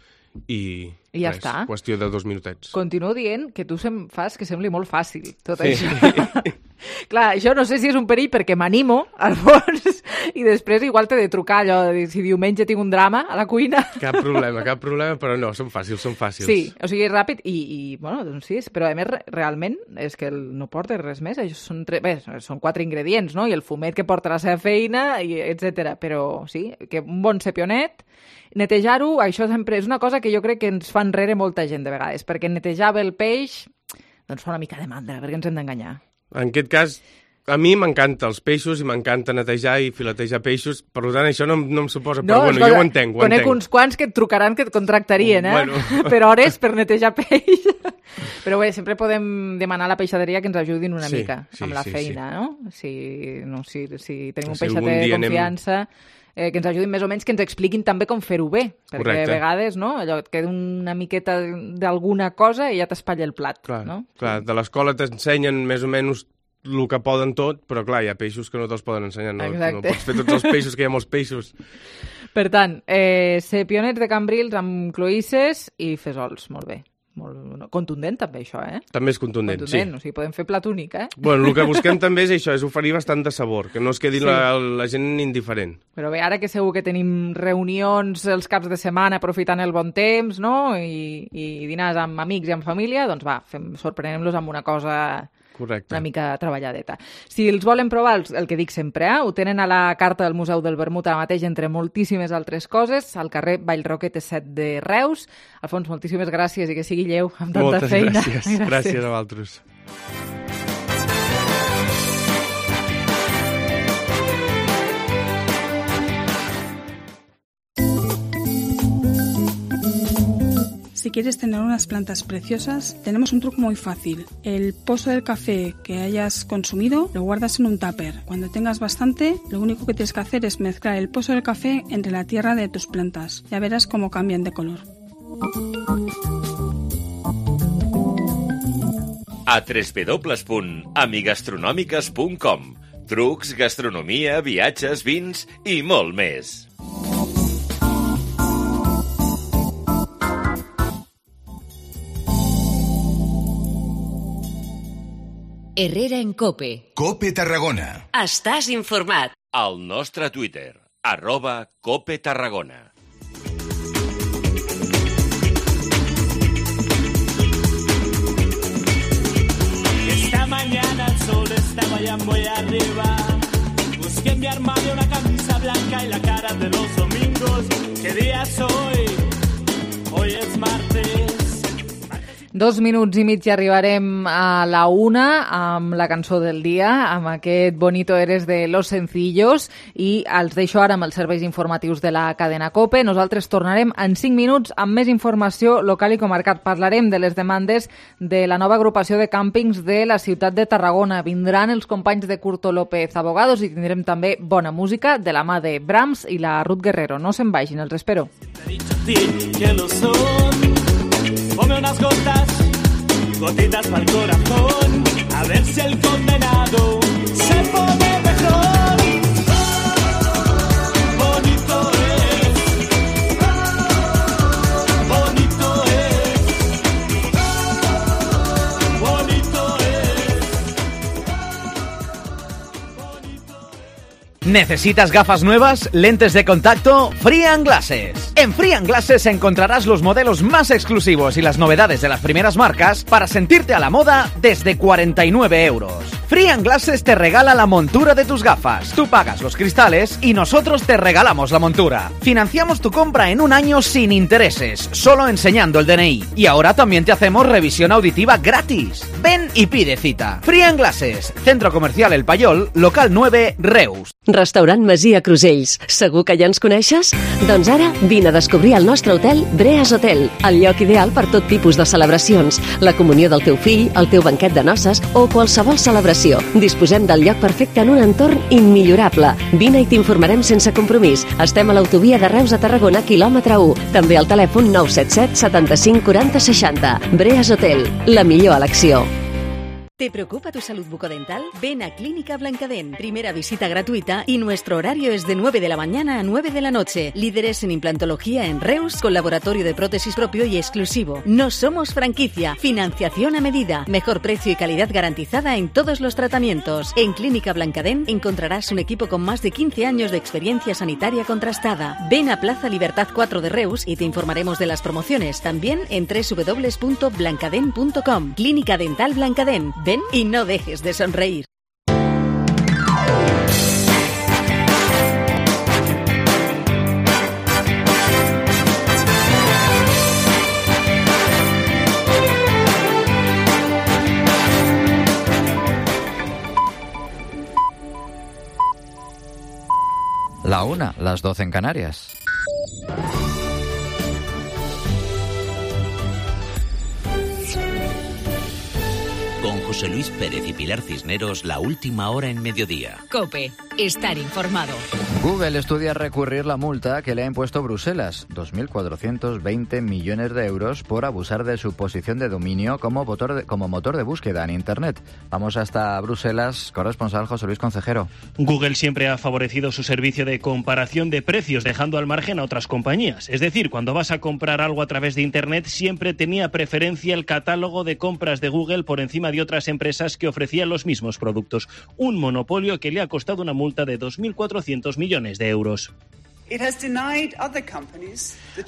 i, I ja res, està. Qüestió de dos minutets. Continuo dient que tu sem fas que sembli molt fàcil, tot sí. això. Clar, això no sé si és un perill perquè m'animo, al fons, i després igual t'he de trucar allò, de dir, si diumenge tinc un drama a la cuina. Cap problema, cap problema, però no, són fàcils, són fàcils. Sí, o sigui, ràpid i, i bueno, doncs sí, però a més, realment, és que el, no porta res més, això són, tre... Bé, són quatre ingredients, no?, i el fumet que porta la seva feina, i etcètera. Però sí, que un bon cepionet, netejar-ho, això sempre és una cosa que jo crec que ens fa enrere molta gent de vegades, perquè netejar bé el peix, doncs fa una mica de mandra, perquè ens hem d'enganyar. En aquest cas, a mi m'encanta els peixos i m'encanta netejar i filetejar peixos, per tant això no, no em suposa, no, però bueno, escolta, jo ho entenc, ho conec entenc. uns quants que et trucaran que et contractarien, eh? Bueno. Per hores per netejar peix. Però bé, sempre podem demanar a la peixaderia que ens ajudin una sí, mica sí, amb la sí, feina, sí. no? Si, no si, si tenim un si peixater de confiança... Anem... Eh, que ens ajudin més o menys, que ens expliquin també com fer-ho bé, perquè Correcte. a vegades no, allò et queda una miqueta d'alguna cosa i ja t'espatlla el plat. Clar, no? clar, de l'escola t'ensenyen més o menys el que poden tot, però clar, hi ha peixos que no te'ls poden ensenyar, no, no pots fer tots els peixos, que hi ha molts peixos. Per tant, eh, cepionets de cambrils amb cloïsses i fesols, molt bé. Molt contundent també això, eh? També és contundent, contundent, sí. O sigui, podem fer plat únic, eh? Bueno, el que busquem també és això, és oferir bastant de sabor, que no es quedi Sí. la, la gent indiferent. Però bé, ara que segur que tenim reunions els caps de setmana aprofitant el bon temps, no?, i, i dinars amb amics i amb família, doncs va, fem, sorprenem-los amb una cosa... Correcte. Una mica treballadeta. Si els volen provar, el, el que dic sempre, eh? Ho tenen a la carta del Museu del Vermut ara mateix, entre moltíssimes altres coses, al carrer Vallroquete set de Reus. Alfons, moltíssimes gràcies i que sigui lleu amb tanta Moltes feina. gràcies. gràcies. Gràcies a vosaltres. Si quieres tener unas plantas preciosas, tenemos un truco muy fácil. El pozo del café que hayas consumido lo guardas en un tupper. Cuando tengas bastante, lo único que tienes que hacer es mezclar el pozo del café entre la tierra de tus plantas. Ya verás cómo cambian de color. A w w w punt amigastronòmiques punt com. Trucs, gastronomia, viatges, vins i molt més. Herrera en Cope. Cope Tarragona. Estàs informat. Al nostre Twitter, arroba Cope Tarragona. Esta mañana el sol estaba ya muy arriba. Busqué en mi armario una camisa blanca y la cara de los domingos. ¿Qué día es hoy? Hoy es martes. Dos minuts i mig i arribarem a la una amb la cançó del dia, amb aquest Bonito eres de Los Sencillos, i els deixo ara amb els serveis informatius de la cadena COPE. Nosaltres tornarem en cinc minuts amb més informació local i comarcal. Parlarem de les demandes de la nova agrupació de càmpings de la ciutat de Tarragona. Vindran els companys de Curto López Abogados i tindrem també bona música de la mà de Brahms i la Ruth Guerrero. No se'n vagin, els espero. Ponme unas gotas, gotitas para el corazón, a ver si el condenado se pone mejor. Bonito es, bonito es, bonito es. ¿Necesitas gafas nuevas? ¿Lentes de contacto? Frian Glasses. En Frian Glasses encontrarás los modelos más exclusivos y las novedades de las primeras marcas para sentirte a la moda desde cuarenta y nueve euros. Frian Glasses te regala la montura de tus gafas. Tú pagas los cristales y nosotros te regalamos la montura. Financiamos tu compra en un año sin intereses, solo enseñando el D N I. Y ahora también te hacemos revisión auditiva gratis. Ven y pide cita. Frian Glasses, Centro Comercial El Payol, local nueve, Reus. Restaurant Masia Crusells. Segur que ja ens coneixes? Doncs ara vine a descobrir el nostre hotel Breas Hotel, el lloc ideal per tot tipus de celebracions, la comunió del teu fill, el teu banquet de noces o qualsevol celebració. Disposem del lloc perfecte en un entorn immillorable. Vine i t'informarem sense compromís. Estem a l'autovia de Reus a Tarragona, quilòmetre u. També al telèfon nou set set setanta-cinc quaranta seixanta. Breas Hotel, la millor elecció. ¿Te preocupa tu salud bucodental? Ven a Clínica Blancadent. Primera visita gratuita y nuestro horario es de nueve de la mañana a nueve de la noche. Líderes en implantología en Reus, con laboratorio de prótesis propio y exclusivo. No somos franquicia. Financiación a medida. Mejor precio y calidad garantizada en todos los tratamientos. En Clínica Blancadent encontrarás un equipo con más de quince años de experiencia sanitaria contrastada. Ven a Plaza Libertad cuatro de Reus y te informaremos de las promociones. También en doble u doble u doble u punto blancadent punto com. Clínica Dental Blancadent. Ven y no dejes de sonreír. La una, las doce en Canarias. Con José Luis Pérez y Pilar Cisneros, la última hora en mediodía. COPE, estar informado. Google estudia recurrir la multa que le ha impuesto Bruselas, dos mil cuatrocientos veinte millones de euros, por abusar de su posición de dominio como motor de, como motor de búsqueda en Internet. Vamos hasta Bruselas, corresponsal José Luis Concejero. Google siempre ha favorecido su servicio de comparación de precios, dejando al margen a otras compañías. Es decir, cuando vas a comprar algo a través de Internet, siempre tenía preferencia el catálogo de compras de Google por encima de otras empresas que ofrecían los mismos productos. Un monopolio que le ha costado una multa de dos mil cuatrocientos millones de euros.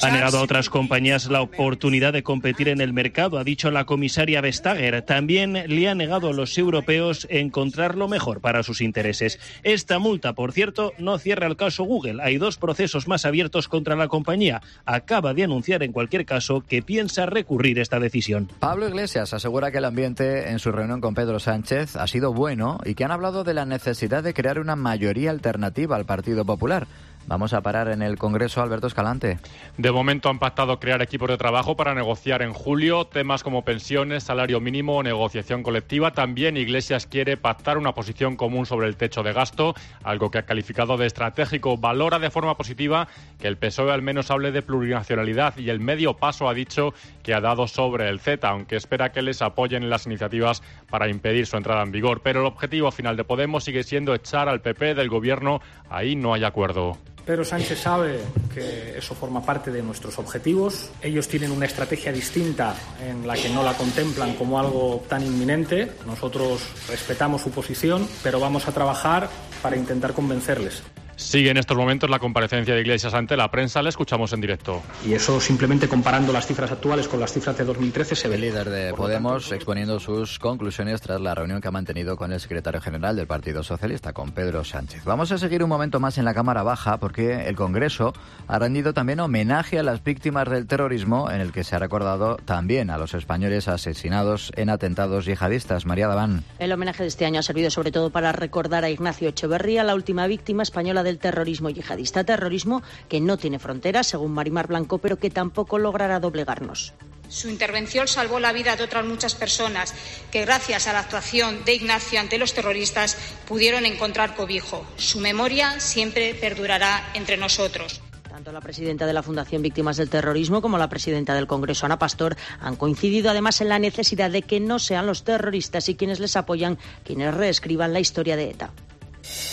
Ha negado a otras compañías la oportunidad de competir en el mercado, ha dicho la comisaria Vestager. También le ha negado a los europeos encontrar lo mejor para sus intereses. Esta multa, por cierto, no cierra el caso Google. Hay dos procesos más abiertos contra la compañía. Acaba de anunciar, en cualquier caso, que piensa recurrir esta decisión. Pablo Iglesias asegura que el ambiente en su reunión con Pedro Sánchez ha sido bueno y que han hablado de la necesidad de crear una mayoría alternativa al Partido Popular. Vamos a parar en el Congreso, Alberto Escalante. De momento han pactado crear equipos de trabajo para negociar en julio temas como pensiones, salario mínimo o negociación colectiva. También Iglesias quiere pactar una posición común sobre el techo de gasto, algo que ha calificado de estratégico. Valora de forma positiva que el P S O E al menos hable de plurinacionalidad y el medio paso ha dicho que ha dado sobre el CETA, aunque espera que les apoyen en las iniciativas para impedir su entrada en vigor. Pero el objetivo final de Podemos sigue siendo echar al P P del gobierno. Ahí no hay acuerdo. Pedro Sánchez sabe que eso forma parte de nuestros objetivos. Ellos tienen una estrategia distinta en la que no la contemplan como algo tan inminente. Nosotros respetamos su posición, pero vamos a trabajar para intentar convencerles. Sigue en estos momentos la comparecencia de Iglesias ante la prensa. Le escuchamos en directo. Y eso, simplemente comparando las cifras actuales con las cifras de dos mil trece, se ve. El líder de Podemos exponiendo sus conclusiones tras la reunión que ha mantenido con el secretario general del Partido Socialista, con Pedro Sánchez. Vamos a seguir un momento más en la Cámara Baja, porque el Congreso ha rendido también homenaje a las víctimas del terrorismo, en el que se ha recordado también a los españoles asesinados en atentados yihadistas. María Daván. El homenaje de este año ha servido sobre todo para recordar a Ignacio Echeverría, la última víctima española del terrorismo yihadista, terrorismo que no tiene fronteras, según Marimar Blanco, pero que tampoco logrará doblegarnos. Su intervención salvó la vida de otras muchas personas que, gracias a la actuación de Ignacio ante los terroristas, pudieron encontrar cobijo. Su memoria siempre perdurará entre nosotros. Tanto la presidenta de la Fundación Víctimas del Terrorismo como la presidenta del Congreso, Ana Pastor, han coincidido además en la necesidad de que no sean los terroristas y quienes les apoyan quienes reescriban la historia de ETA.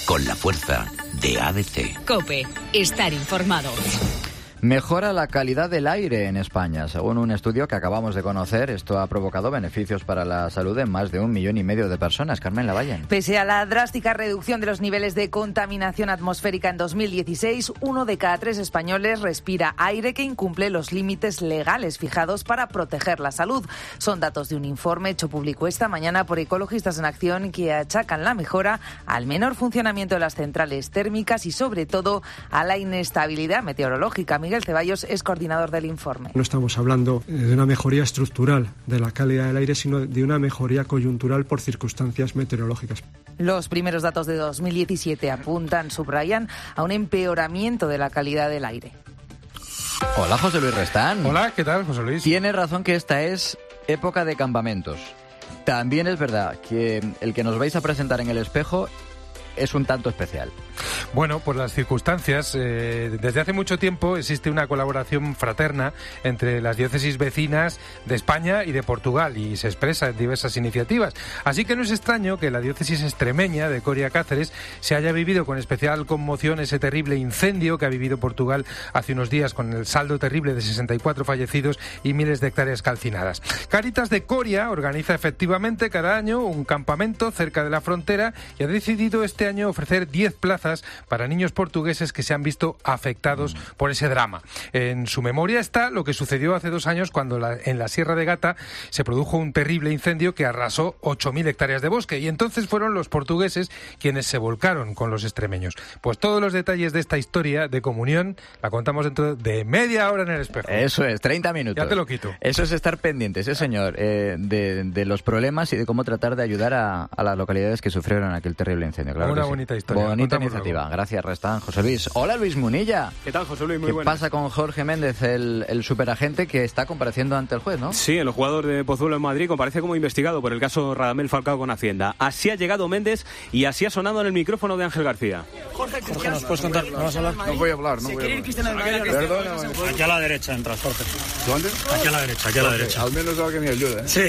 Con la fuerza de A B C. COPE, estar informado. Mejora la calidad del aire en España. Según un estudio que acabamos de conocer, esto ha provocado beneficios para la salud en más de un millón y medio de personas. Carmen Lavallen. Pese a la drástica reducción de los niveles de contaminación atmosférica en dos mil dieciséis, uno de cada tres españoles respira aire que incumple los límites legales fijados para proteger la salud. Son datos de un informe hecho público esta mañana por Ecologistas en Acción, que achacan la mejora al menor funcionamiento de las centrales térmicas y, sobre todo, a la inestabilidad meteorológica. Miguel Ceballos es coordinador del informe. No estamos hablando de una mejoría estructural de la calidad del aire, sino de una mejoría coyuntural por circunstancias meteorológicas. Los primeros datos de dos mil diecisiete apuntan, subrayan, a un empeoramiento de la calidad del aire. Hola, José Luis Restán. Hola, ¿qué tal, José Luis? Tiene razón que esta es época de campamentos. También es verdad que el que nos vais a presentar en el espejo es un tanto especial. Bueno, por las circunstancias, eh, desde hace mucho tiempo existe una colaboración fraterna entre las diócesis vecinas de España y de Portugal y se expresa en diversas iniciativas. Así que no es extraño que la diócesis extremeña de Coria Cáceres se haya vivido con especial conmoción ese terrible incendio que ha vivido Portugal hace unos días, con el saldo terrible de sesenta y cuatro fallecidos y miles de hectáreas calcinadas. Cáritas de Coria organiza efectivamente cada año un campamento cerca de la frontera y ha decidido este año ofrecer diez plazas para niños portugueses que se han visto afectados por ese drama. En su memoria está lo que sucedió hace dos años cuando la, en la Sierra de Gata se produjo un terrible incendio que arrasó ocho mil hectáreas de bosque y entonces fueron los portugueses quienes se volcaron con los extremeños. Pues todos los detalles de esta historia de comunión la contamos dentro de media hora en El Espejo. Eso es, treinta minutos. Ya te lo quito. Eso es estar pendientes, ¿eh, señor? Eh, de, de los problemas y de cómo tratar de ayudar a, a las localidades que sufrieron aquel terrible incendio. Claro Una que sí. bonita historia. Bonita iniciativa. Gracias, Restán. José Luis. Hola, Luis Munilla. ¿Qué tal, José Luis? Muy ¿Qué buenas. pasa con Jorge Méndez, el, el superagente que está compareciendo ante el juez, no? Sí, el jugador de Pozuelo en Madrid comparece como investigado por el caso Radamel Falcao con Hacienda. Así ha llegado Méndez y así ha sonado en el micrófono de Ángel García. Jorge, Jorge, ¿nos puedes contar? ¿No vas a hablar? No voy a hablar, no voy a hablar. Perdona, aquí a la derecha entras, Jorge. ¿Dónde? Aquí a la derecha, aquí a la derecha. Al menos alguien me ayuda, ¿eh? Sí.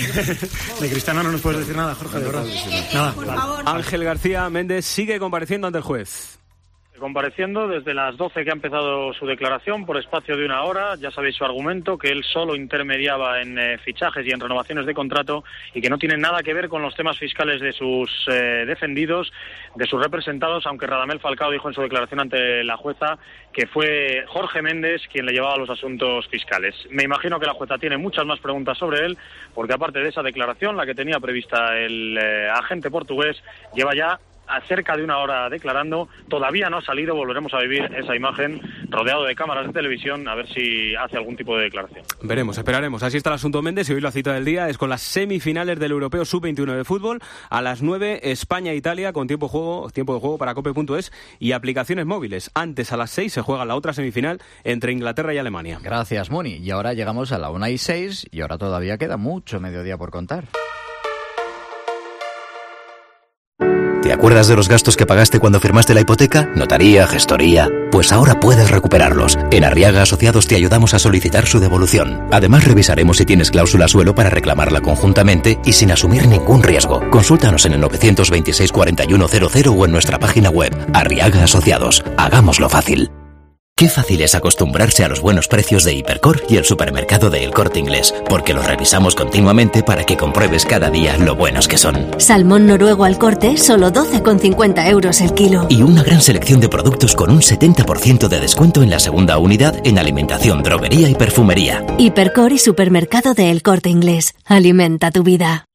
De Cristiano no nos puedes decir nada, Jorge, de verdad. Nada. Ángel García Méndez sigue compareciendo ante el juez. Compareciendo desde las doce que ha empezado su declaración por espacio de una hora. Ya sabéis su argumento, que él solo intermediaba en eh, fichajes y en renovaciones de contrato y que no tiene nada que ver con los temas fiscales de sus eh, defendidos, de sus representados, aunque Radamel Falcao dijo en su declaración ante la jueza que fue Jorge Méndez quien le llevaba los asuntos fiscales. Me imagino que la jueza tiene muchas más preguntas sobre él, porque aparte de esa declaración, la que tenía prevista el eh, agente portugués, lleva ya a cerca de una hora declarando, todavía no ha salido, volveremos a vivir esa imagen rodeado de cámaras de televisión, a ver si hace algún tipo de declaración. Veremos, esperaremos. Así está el asunto Méndez y hoy la cita del día es con las semifinales del Europeo sub veintiuno de fútbol. A las nueve, España-Italia con tiempo, juego, tiempo de juego para cope punto es y aplicaciones móviles. Antes, a las seis, se juega la otra semifinal entre Inglaterra y Alemania. Gracias, Muni. Y ahora llegamos a la una y seis y ahora todavía queda mucho mediodía por contar. ¿Te acuerdas de los gastos que pagaste cuando firmaste la hipoteca? Notaría, gestoría. Pues ahora puedes recuperarlos. En Arriaga Asociados te ayudamos a solicitar su devolución. Además, revisaremos si tienes cláusula suelo para reclamarla conjuntamente y sin asumir ningún riesgo. Consúltanos en el nueve dos seis, cuatro uno cero cero o en nuestra página web. Arriaga Asociados. Hagámoslo fácil. Qué fácil es acostumbrarse a los buenos precios de Hipercor y el supermercado de El Corte Inglés, porque los revisamos continuamente para que compruebes cada día lo buenos que son. Salmón noruego al corte, solo doce con cincuenta euros el kilo. Y una gran selección de productos con un setenta por ciento de descuento en la segunda unidad en alimentación, droguería y perfumería. Hipercor y supermercado de El Corte Inglés. Alimenta tu vida.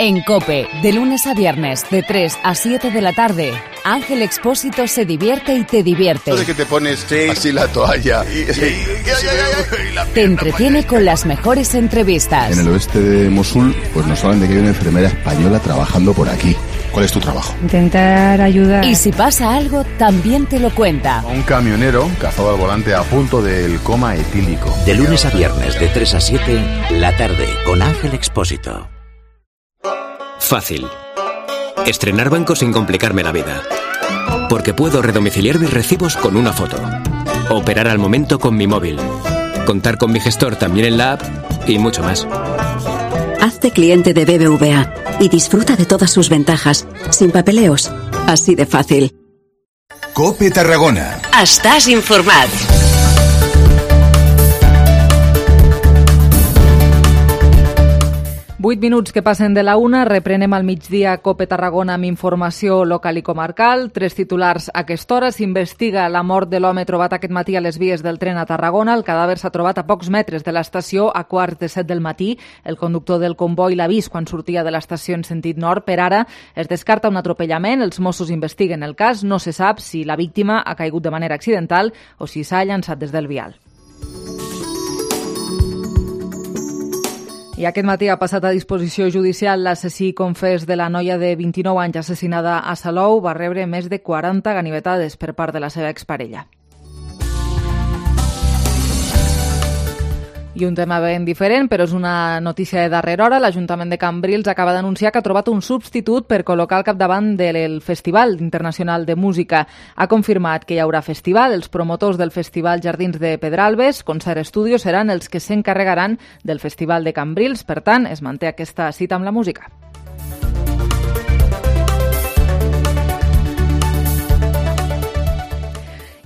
En COPE, de lunes a viernes, de tres a siete de la tarde, Ángel Expósito se divierte y te divierte. De que te pones sí. así la toalla y, sí. y, y, y la te entretiene con las mejores entrevistas. En el oeste de Mosul, pues nos hablan de que hay una enfermera española trabajando por aquí. ¿Cuál es tu trabajo? Intentar ayudar. Y si pasa algo, también te lo cuenta. Un camionero cazado al volante a punto del coma etílico. De lunes a viernes, de tres a siete, la tarde, con Ángel Expósito. Fácil. Estrenar banco sin complicarme la vida. Porque puedo redomiciliar mis recibos con una foto. Operar al momento con mi móvil. Contar con mi gestor también en la app y mucho más. Hazte cliente de B B V A y disfruta de todas sus ventajas, sin papeleos. Así de fácil. COPE Tarragona. Estàs informat. Vuit minuts que passen de la una, reprenem al migdia COPE Tarragona amb informació local i comarcal. Tres titulars a aquesta hora. S'investiga la mort de l'home trobat aquest matí a les vies del tren a Tarragona. El cadàver s'ha trobat a pocs metres de l'estació a quarts de set del matí. El conductor del comboi l'ha vist quan sortia de l'estació en sentit nord. Per ara es descarta un atropellament. Els Mossos investiguen el cas. No se sap si la víctima ha caigut de manera accidental o si s'ha llançat des del vial. I aquest matí ha passat a disposició judicial l'assassí confés de la noia de vint-i-nou anys assassinada a Salou. Va rebre més de quaranta ganivetades per part de la seva exparella. I un tema ben diferent, però és una notícia de darrera hora. L'Ajuntament de Cambrils acaba d'anunciar que ha trobat un substitut per col·locar al capdavant del Festival Internacional de Música. Ha confirmat que hi haurà festival. Els promotors del Festival Jardins de Pedralbes, Concert Studio, seran els que s'encarregaran del Festival de Cambrils. Per tant, es manté aquesta cita amb la música.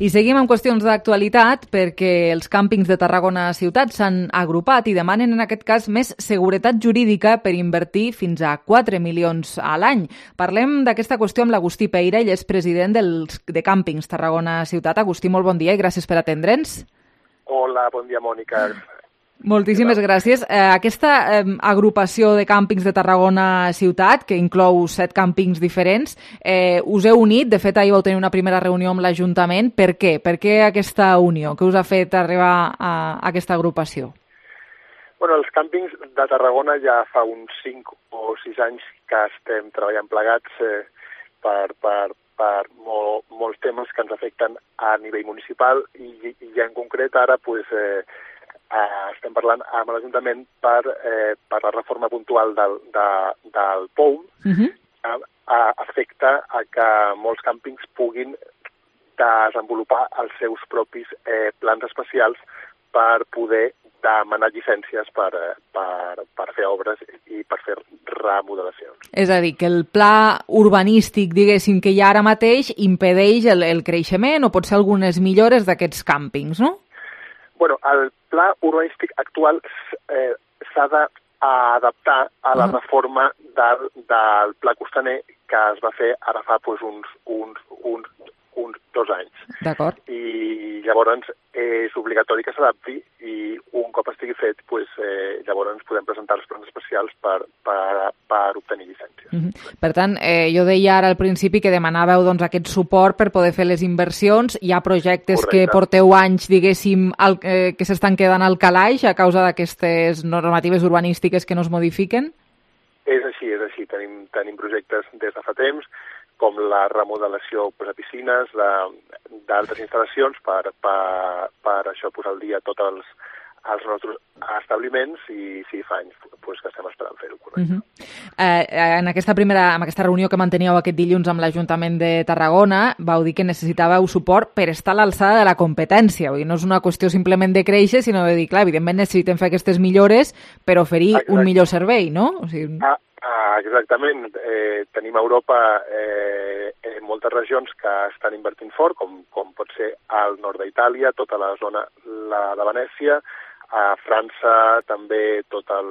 I seguim amb qüestions d'actualitat perquè els càmpings de Tarragona ciutat s'han agrupat i demanen en aquest cas més seguretat jurídica per invertir fins a quatre milions a l'any. Parlem d'aquesta qüestió amb l'Agustí Peira, ell és president dels, de Càmpings Tarragona ciutat. Agustí, molt bon dia i gràcies per atendre'ns. Hola, bon dia, Mònica. Moltíssimes gràcies. Eh, aquesta eh, agrupació de càmpings de Tarragona ciutat, que inclou set càmpings diferents, eh, us heu unit. De fet, ahir vau tenir una primera reunió amb l'Ajuntament. Per què? Per què aquesta unió? Què us ha fet arribar a, a aquesta agrupació? Bueno, els càmpings de Tarragona ja fa uns cinc o sis anys que estem treballant plegats eh, per, per, per molt, molts temes que ens afecten a nivell municipal i, i ja en concret ara pues, eh, Uh, estem parlant amb l'Ajuntament per, eh, per la reforma puntual del, de, del P O U M, uh-huh. que uh, afecta a que molts càmpings puguin desenvolupar els seus propis eh, plans especials per poder demanar llicències per, per, per fer obres i per fer remodelacions. És a dir, que el pla urbanístic, diguéssim, que hi ha ara mateix impedeix el, el creixement o potser algunes millores d'aquests càmpings, no? Bueno, el pla urbanístic actual eh, s'ha d'adaptar a la uh-huh. reforma del, del pla costaner que es va fer ara fa pues, uns, uns, uns, uns dos anys. D'acord. I llavors és obligatori que s'adapti i un cop estigui fet, pues, eh, llavors podem presentar els plans especials per, per, per obtenir llicències. Uh-huh. Per tant, eh, jo deia ara al principi que demanàveu doncs, aquest suport per poder fer les inversions. Hi ha projectes Correcte. Que porteu anys, diguéssim, al, eh, que s'estan quedant al calaix a causa d'aquestes normatives urbanístiques que no es modifiquen? És així, és així. Tenim, tenim projectes des de fa temps, com la remodelació pues, de piscines, d'altres instal·lacions, per, per, per això posar al dia tots els, els nostres establiments i sí, fa anys pues, que estem esperant fer-ho, correcte. Uh-huh. eh, en, aquesta primera, en aquesta reunió que manteníeu aquest dilluns amb l'Ajuntament de Tarragona, vau dir que necessitàveu suport per estar a l'alçada de la competència. Vull dir, no és una qüestió simplement de créixer, sinó de dir, clar, evidentment necessitem fer aquestes millores per oferir Exacte. Un millor servei, no? O sigui... ah, ah, exactament. Eh, tenim a Europa eh, en moltes regions que estan invertint fort, com, com pot ser al nord d'Itàlia, tota la zona la de Venècia, a França també tot el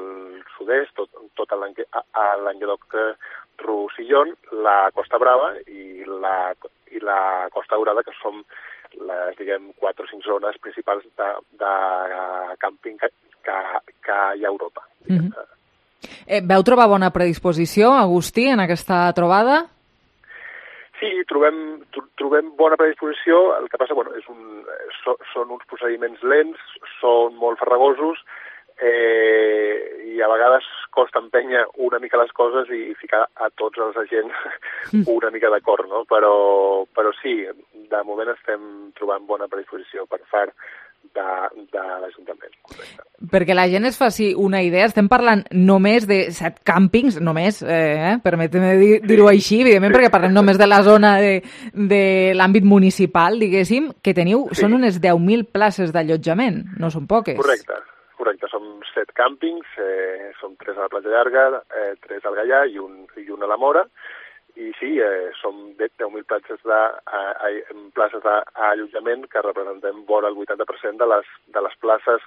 sud-est, tot, tot l'Anguedoc-Roussillon, la Costa Brava i la, i la Costa Daurada, que són les, diguem, quatre o cinc zones principals de, de càmping que, que, que hi ha a Europa. Mm-hmm. eh, veu trobar bona predisposició, Agustí, en aquesta trobada? Sí, trobem, trobem bona predisposició. El que passa, bueno, és un, so, són uns procediments lents, són molt farragosos eh, i a vegades costa empènyer una mica les coses i ficar a tots els agents una mica d'acord, no? Però, però sí, de moment estem trobant bona predisposició per part de, de l'Ajuntament. Correcte. Perquè la gent es faci una idea, estem parlant només de set càmpings, només, eh, permetem dir-ho sí. així, evidentment, sí. perquè parlem només de la zona de, de l'àmbit municipal, diguéssim, que teniu, sí. són unes deu mil places d'allotjament, no són poques. Correcte, correcte, som set càmpings, eh, som tres a la Platja Llarga, eh, tres al Gaià i un, i un a la Mora, i sí, eh, som deu mil places de, eh, places d'allotjament que representem vora el vuitanta per cent de les, de les places,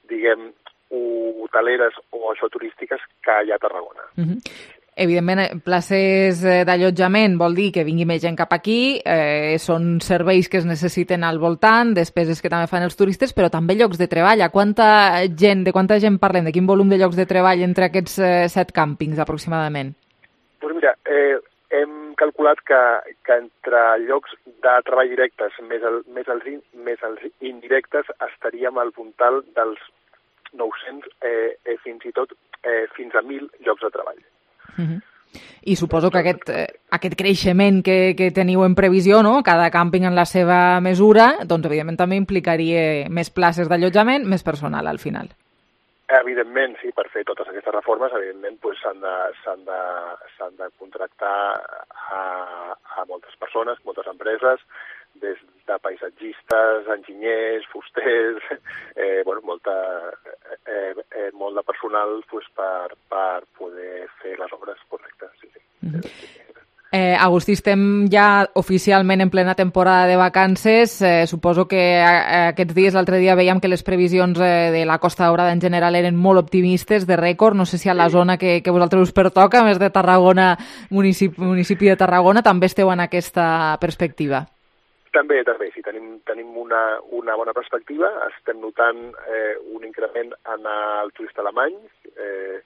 diguem, hoteleres o això turístiques que hi ha a Tarragona. Mm-hmm. Evidentment, places d'allotjament vol dir que vingui més gent cap aquí, eh, són serveis que es necessiten al voltant, despeses que també fan els turistes, però també llocs de treball. A quanta gent, de quanta gent parlem? De quin volum de llocs de treball entre aquests eh, set càmpings, aproximadament? Doncs mira, eh, hem calculat que, que entre llocs de treball directes més, el, més, els, in, més els indirectes estaríem al puntal dels nou-cents eh, eh, fins i tot eh, fins a mil llocs de treball. Uh-huh. I suposo que aquest, eh, aquest creixement que, que teniu en previsió, no? Cada càmping en la seva mesura, doncs evidentment també implicaria més places d'allotjament, més personal al final. evidentment, sí, per fer totes aquestes reformes, evidentment, pues, s'han de, s'han de, s'han de contractar a, a moltes persones, moltes empreses, des de paisatgistes, enginyers, fusters, eh, bueno, molta, eh, eh, molt de personal pues, per, per poder fer les obres correctes. Sí, sí. Mm-hmm. Eh, Agustí, estem ja oficialment en plena temporada de vacances. Eh, suposo que a, aquests dies, l'altre dia, veiem que les previsions eh, de la Costa Daurada en general eren molt optimistes, de rècord. No sé si a la sí. zona que, que vosaltres us pertoca, més de Tarragona, municipi, municipi de Tarragona, també esteu en aquesta perspectiva. També, també, sí, tenim, tenim una, una bona perspectiva. Estem notant eh, un increment en el turista alemany, eh,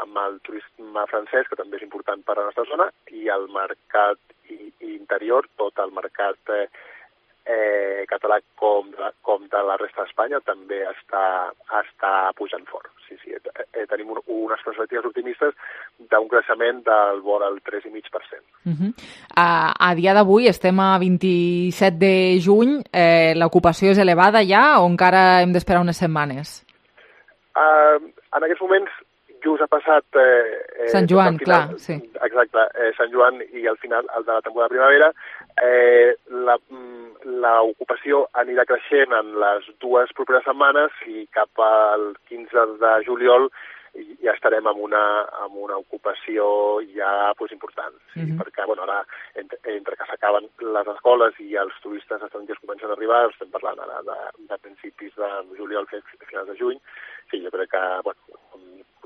amb el turisme francès, que també és important per a la nostra zona, i el mercat interior, tot el mercat eh, eh, català com de, com de la resta d'Espanya també està, està pujant fort. Sí, sí, eh, tenim un, unes perspectives optimistes d'un creixement del vora al tres coma cinc per cent. Uh-huh. A, a dia d'avui estem a vint-i-set de juny, eh, l'ocupació és elevada ja o encara hem d'esperar unes setmanes? Uh, en aquests moments just ha passat... Eh, Sant Joan, final, clar, sí. Exacte, eh, Sant Joan i al final el de la temporada de primavera. Eh, la, l'ocupació anirà creixent en les dues properes setmanes i cap al quinze de juliol ja estarem amb una, amb una ocupació ja pues, important. Sí, mm-hmm. Perquè bueno, ara, entre, entre que s'acaben les escoles i els turistes estrangers comencen a arribar, estem parlant ara de, de principis de juliol fins a finals de juny, sí, jo crec que, bueno,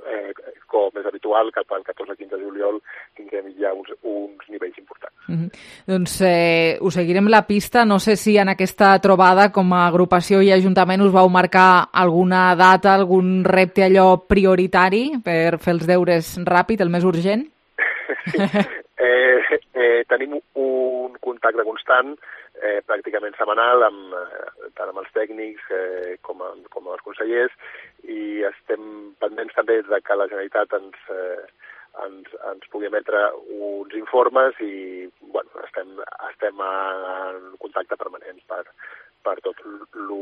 Eh, com és habitual, cap al catorze quinze de juliol tindrem ja uns, uns nivells importants. Mm-hmm. Doncs eh, us seguirem la pista. No sé si en aquesta trobada com a agrupació i ajuntament us vau marcar alguna data, algun repte allò prioritari per fer els deures ràpid, el més urgent? Sí. eh, eh, tenim un contacte constant eh, pràcticament setmanal amb, eh, tant amb els tècnics eh, com, amb, com amb els consellers i estem pendents també de que la Generalitat ens, eh, ens, ens pugui emetre uns informes i bueno, estem, estem en contacte permanent per, per tot el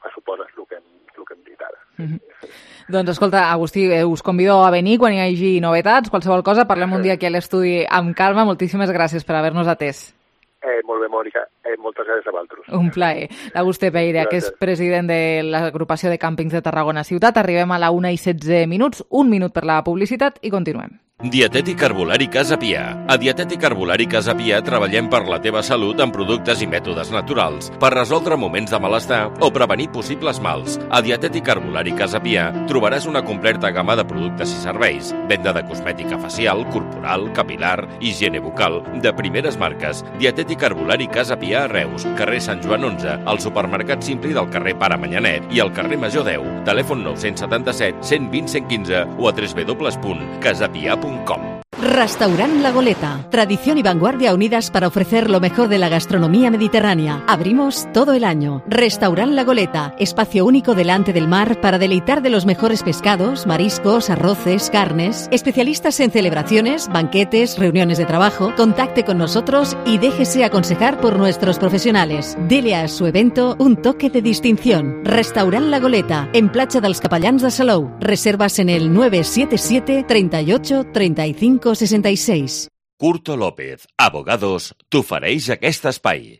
que suposa el que hem, el que hem dit ara. Mm-hmm. Doncs escolta, Agustí, eh, us convido a venir quan hi hagi novetats, qualsevol cosa, parlem un dia aquí a l'estudi amb calma. Moltíssimes gràcies per haver-nos atès. Eh, molt bé, Mònica. Eh, moltes gràcies a vosaltres. Un plaer. L'Agustí Peira, que és president de l'agrupació de càmpings de Tarragona Ciutat. Arribem a la una i setze minuts, un minut per la publicitat i continuem. Dietètic Herbolari Casa Pia. A Dietètic Herbolari Casa Pia treballem per la teva salut amb productes i mètodes naturals, per resoldre moments de malestar o prevenir possibles mals. A Dietètic Herbolari Casa Pia trobaràs una completa gamma de productes i serveis, venda de cosmètica facial, corporal, capilar, higiene bucal, de primeres marques. Dietètic Herbolari Casa Pia a Reus, carrer Sant Joan onze, al supermercat Simpli del carrer Pare Manyanet i al carrer Major deu. Telèfon nou set set, cent vint, cent quinze o a w w w punt casapia punt com. Restaurant La Goleta. Tradición y vanguardia unidas para ofrecer lo mejor de la gastronomía mediterránea. Abrimos todo el año. Restaurant La Goleta. Espacio único delante del mar para deleitar de los mejores pescados, mariscos, arroces, carnes. Especialistas en celebraciones, banquetes, reuniones de trabajo. Contacte con nosotros y déjese aconsejar por nuestros profesionales. Dele a su evento un toque de distinción. Restaurant La Goleta. En Platja dels Capellans de Salou. Reservas en el nueve siete siete, treinta y ocho, treinta y cinco, sesenta y seis. Curto López, Abogados, t'ofereix aquest espai.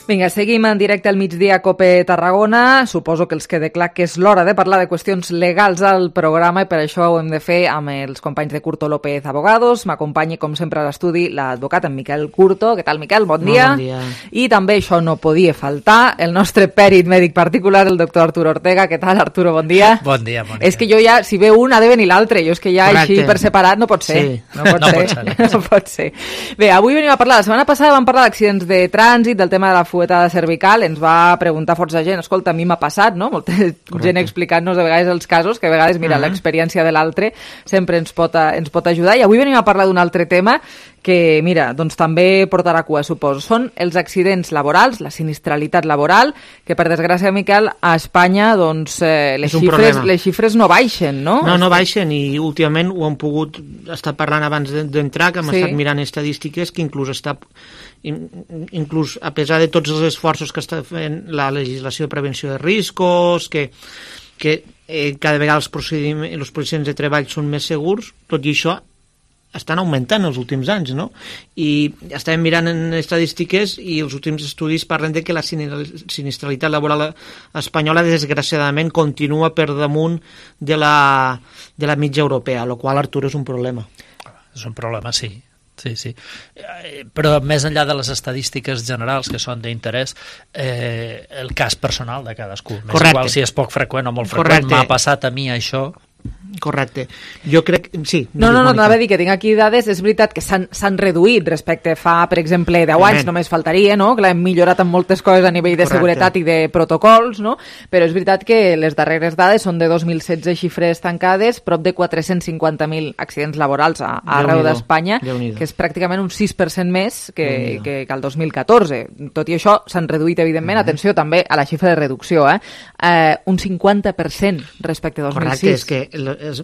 Vinga, seguim en directe al migdia a COPE Tarragona. Suposo que els quede clar que és l'hora de parlar de qüestions legals al programa i per això ho hem de fer amb els companys de Curto López Abogados. M'acompanyi, com sempre, a l'estudi l'advocat en Miquel Curto. Què tal, Miquel? Bon dia. Bon dia. I també això no podia faltar, el nostre pèrit mèdic particular, el doctor Arturo Ortega. Què tal, Arturo? Bon dia. Bon dia, Mònica. És que jo ja, si ve un, ha de venir l'altre. Jo és que ja Correcte. Així per separat no pot ser. Sí. No pot no ser. Pot ser. No pot ser. Bé, avui venim a parlar. La setmana passada vam parlar d'accidents de trànsit, del tema de la fuetada cervical. Ens va preguntar força gent, escolta, a mi m'ha passat, no? Molta Correcte. Gent explicant-nos de vegades els casos, que a vegades, mira, uh-huh. l'experiència de l'altre sempre ens pot, ens pot ajudar. I avui venim a parlar d'un altre tema que, mira, doncs també portarà cua, suposo. Són els accidents laborals, la sinistralitat laboral, que per desgràcia, Miquel, a Espanya doncs, eh, les, xifres, les xifres no baixen, no? No, no baixen, i últimament ho hem pogut estar parlant abans d'entrar, que hem sí. estat mirant estadístiques que inclús està inclús a pesar de tots els esforços que està fent la legislació de prevenció de riscos, que, que eh, cada vegada els procediments, els procediments de treball són més segurs, tot i això estan augmentant els últims anys, no? I estàvem mirant en estadístiques i els últims estudis parlen de que la sinistralitat laboral espanyola desgraciadament continua per damunt de la, de la mitja europea, el qual, Artur, és un problema. És un problema, sí. Sí, sí. Però més enllà de les estadístiques generals que són d'interès, eh, el cas personal de cadascú. Més Correcte. Igual si és poc freqüent o molt freqüent, m'ha passat a mi això. Correcte. Jo crec... Sí. No, no, no, anava a dir que tinc aquí dades, és veritat que s'han reduït respecte fa, per exemple, deu anys, només faltaria, no? Que l'hem millorat en moltes coses a nivell de Correcte. Seguretat i de protocols, no? Però és veritat que les darreres dades són de dos mil setze xifres tancades, prop de quatre-cents cinquanta mil accidents laborals a, a arreu d'Espanya, que és pràcticament un sis per cent més que, que, que el dos mil catorze. Tot i això, s'han reduït, evidentment, uh-huh. atenció també a la xifra de reducció, eh? eh un cinquanta per cent respecte a dos mil sis. Correcte, és que és,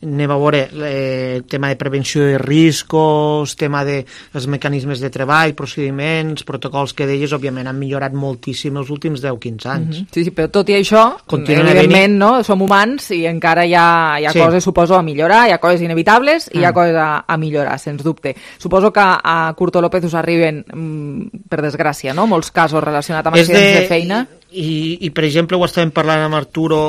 anem a veure el tema de prevenció de riscos, tema de els mecanismes de treball, procediments, protocols que deies, òbviament han millorat moltíssim els últims deu a quinze anys. Mm-hmm. Sí, sí, però tot i això, Continuen evidentment, no, som humans i encara hi ha, hi ha sí. coses, suposo, a millorar, hi ha coses inevitables i mm. hi ha coses a, a millorar, sens dubte. Suposo que a Curto López us arriben, mm, per desgràcia, no?, molts casos relacionats amb accidents de, de feina. I, i, per exemple, ho estàvem parlant amb Arturo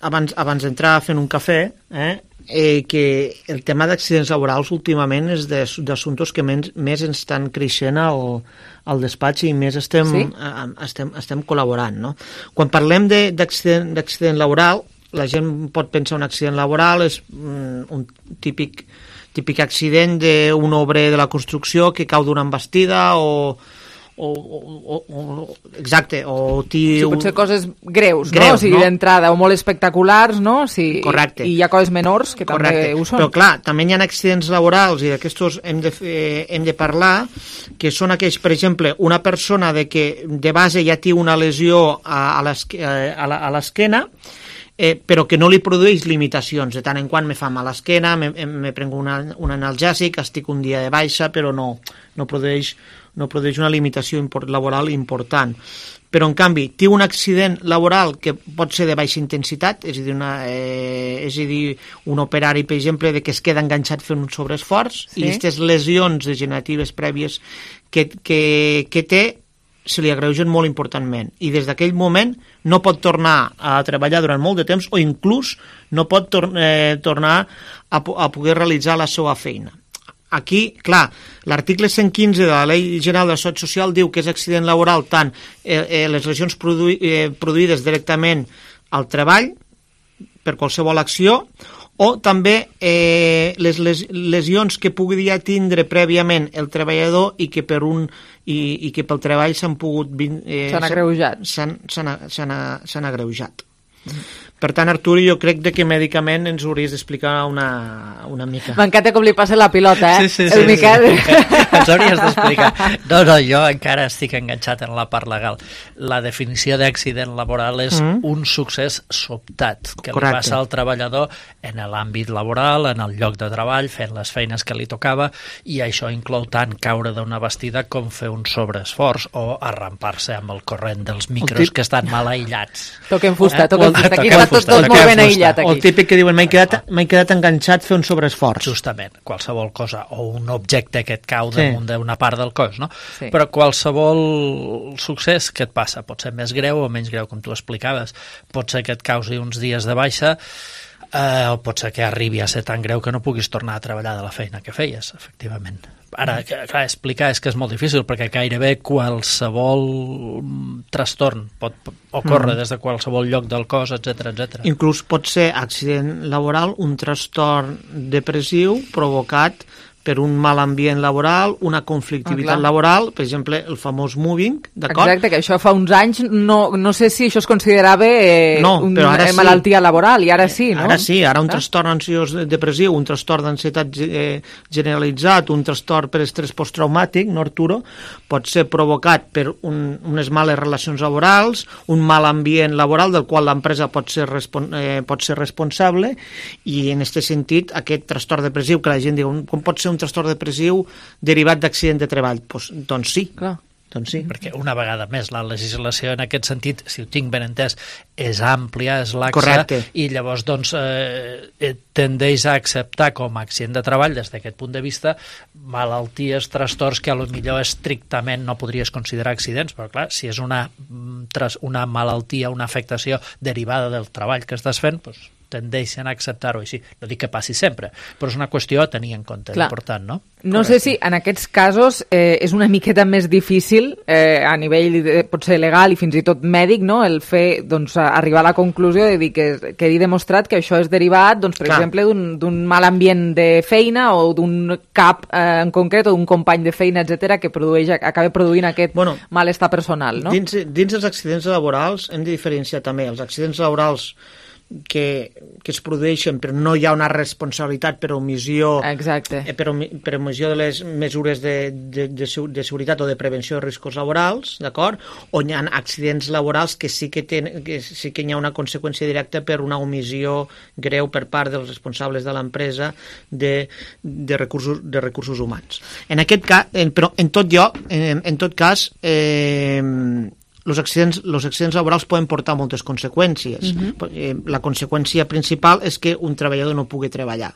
abans, abans d'entrar fent un cafè, eh? Eh, que el tema d'accidents laborals últimament és d'assumptes que més, més ens estan creixent al, al despatx i més estem, sí? eh, estem, estem col·laborant, no? Quan parlem d'accident d'accident laboral, la gent pot pensar un accident laboral és mm, un típic, típic accident d'un obrer de la construcció que cau d'una embastida o O, o, o, exacte, o sí, pot ser coses greus, greus no? O sigui, no? D'entrada, o molt espectaculars, no? Si, Correcte. I hi ha coses menors que Correcte. També ho són. Però clar, també hi ha accidents laborals i d'aquestos hem, de, eh, hem de parlar, que són aquells, per exemple, una persona de que de base ja té una lesió a, a l'esquena, Eh, però que no li produeix limitacions. De tant en quant me fa mal l'esquena, me, me prenc una, un analgèsic, estic un dia de baixa, però no, no, produeix, no produeix una limitació import, laboral important. Però, en canvi, té un accident laboral que pot ser de baixa intensitat, és a dir, una, eh, és a dir un operari, per exemple, de que es queda enganxat fent un sobreesforç, sí? I aquestes lesions degeneratives prèvies que, que, que té se li agreugen molt importantment i des d'aquell moment no pot tornar a treballar durant molt de temps o inclús no pot tor eh, tornar a, a poder realitzar la seva feina. Aquí, clar, l'article cent quinze de la Llei General de la Seguretat Social diu que és accident laboral tant eh, eh, les lesions produ eh, produïdes directament al treball per qualsevol acció o també eh, les les lesions que pugui ja tindre prèviament el treballador i que per un i, i que pel treball s'han pogut eh, s'han agreujat s'han agreujat. Mm. Per tant, Artur, jo crec que mèdicament ens hauries d'explicar una, una mica. M'encanta com li passa la pilota, eh? Sí, sí, sí. El Miquel. Sí, sí. Ens hauries d'explicar. No, no, jo encara estic enganxat en la part legal. La definició d'accident laboral és mm. un succés sobtat que Correcte. Li passa al treballador en l'àmbit laboral, en el lloc de treball, fent les feines que li tocava, i això inclou tant caure d'una bastida com fer un sobreesforç o arrampar-se amb el corrent dels micros que estan mal aïllats. Toquen fusta, toquen fusta. Aquí està tot, tot molt ben aïllat. Aquí. O el típic que diuen m'he quedat, quedat enganxat fer un sobreesforç. Justament, qualsevol cosa, o un objecte que et cau damunt sí. d'una part del cos, no? Sí. Però qualsevol succés que et passa, pot ser més greu o menys greu, com tu explicaves, pot ser que et causi uns dies de baixa, eh, o pot ser que arribi a ser tan greu que no puguis tornar a treballar de la feina que feies, efectivament. Ara, clar, explicar és que és molt difícil perquè gairebé qualsevol trastorn pot ocórrer mm. des de qualsevol lloc del cos, etcètera, etcètera. Inclús pot ser accident laboral un trastorn depressiu provocat per un mal ambient laboral, una conflictivitat ah, laboral, per exemple, el famós moving, d'acord? Exacte, que això fa uns anys no, no sé si això es considerava eh, no, una sí. malaltia laboral, i ara sí, no? Ara sí, ara un ah. trastorn ansiós depressiu, un trastorn d'ansietat eh, generalitzat, un trastorn per estrès posttraumàtic, no, Arturo? Pot ser provocat per un, unes males relacions laborals, un mal ambient laboral del qual l'empresa pot ser, respon eh, pot ser responsable, i en aquest sentit, aquest trastorn depressiu, que la gent diu, com pot ser un trastorn depressiu derivat d'accident de treball? Pues, doncs sí. Clar. Doncs sí. Perquè una vegada més la legislació en aquest sentit, si ho tinc ben entès, és àmplia, és laxa. Correcte. I llavors doncs eh, tendeix a acceptar com a accident de treball des d'aquest punt de vista malalties, trastorns que a lo millor estrictament no podries considerar accidents, però clar, si és una, una malaltia, una afectació derivada del treball que estàs fent, doncs tendeixen a acceptar-ho així. No dic que passi sempre, però és una qüestió a tenir en compte, clar. Important, no? No Correcte. Sé si en aquests casos eh, és una miqueta més difícil eh, a nivell de, potser legal i fins i tot mèdic, no? El fer, doncs, arribar a la conclusió de dir que quedi demostrat que això és derivat, doncs, per clar. Exemple, d'un mal ambient de feina o d'un cap eh, en concret o d'un company de feina, etcètera, que produeix, acaba produint aquest bueno, malestar personal, no? Dins, dins els accidents laborals hem de diferenciar també els accidents laborals que, que es produeixen però no hi ha una responsabilitat per omissió Exacte. Eh, per, per omissió de les mesures de, de, de, de seguretat o de prevenció de riscos laborals, d'acord? O hi ha accidents laborals que sí que, ten, que sí que hi ha una conseqüència directa per una omissió greu per part dels responsables de l'empresa de, de, recursos, de recursos humans. En aquest cas, en, però en tot lloc, en, en tot cas, eh, els accidents, els accidents laborals poden portar moltes conseqüències. Uh-huh. La conseqüència principal és que un treballador no pugui treballar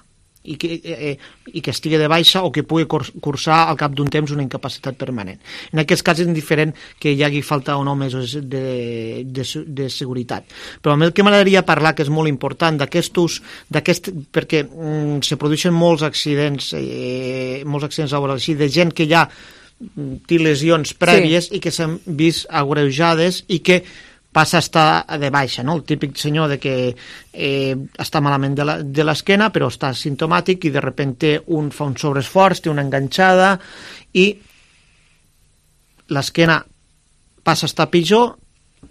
i que, eh, i que estigui de baixa o que pugui cursar al cap d'un temps una incapacitat permanent. En aquest cas és indiferent que hi hagi falta o no mesos de, de, de seguretat. Però el que m'agradaria parlar, que és molt important, d'aquestos, d'aquest, perquè mm, se produeixen molts accidents, eh, molts accidents laborals així, de gent que ja té lesions prèvies sí. i que s'han vist agreujades i que passa a estar de baixa, no? El típic senyor de que eh, està malament de l'esquena però està simptomàtic i de repente un fa un sobreesforç, té una enganxada i l'esquena passa a estar pitjor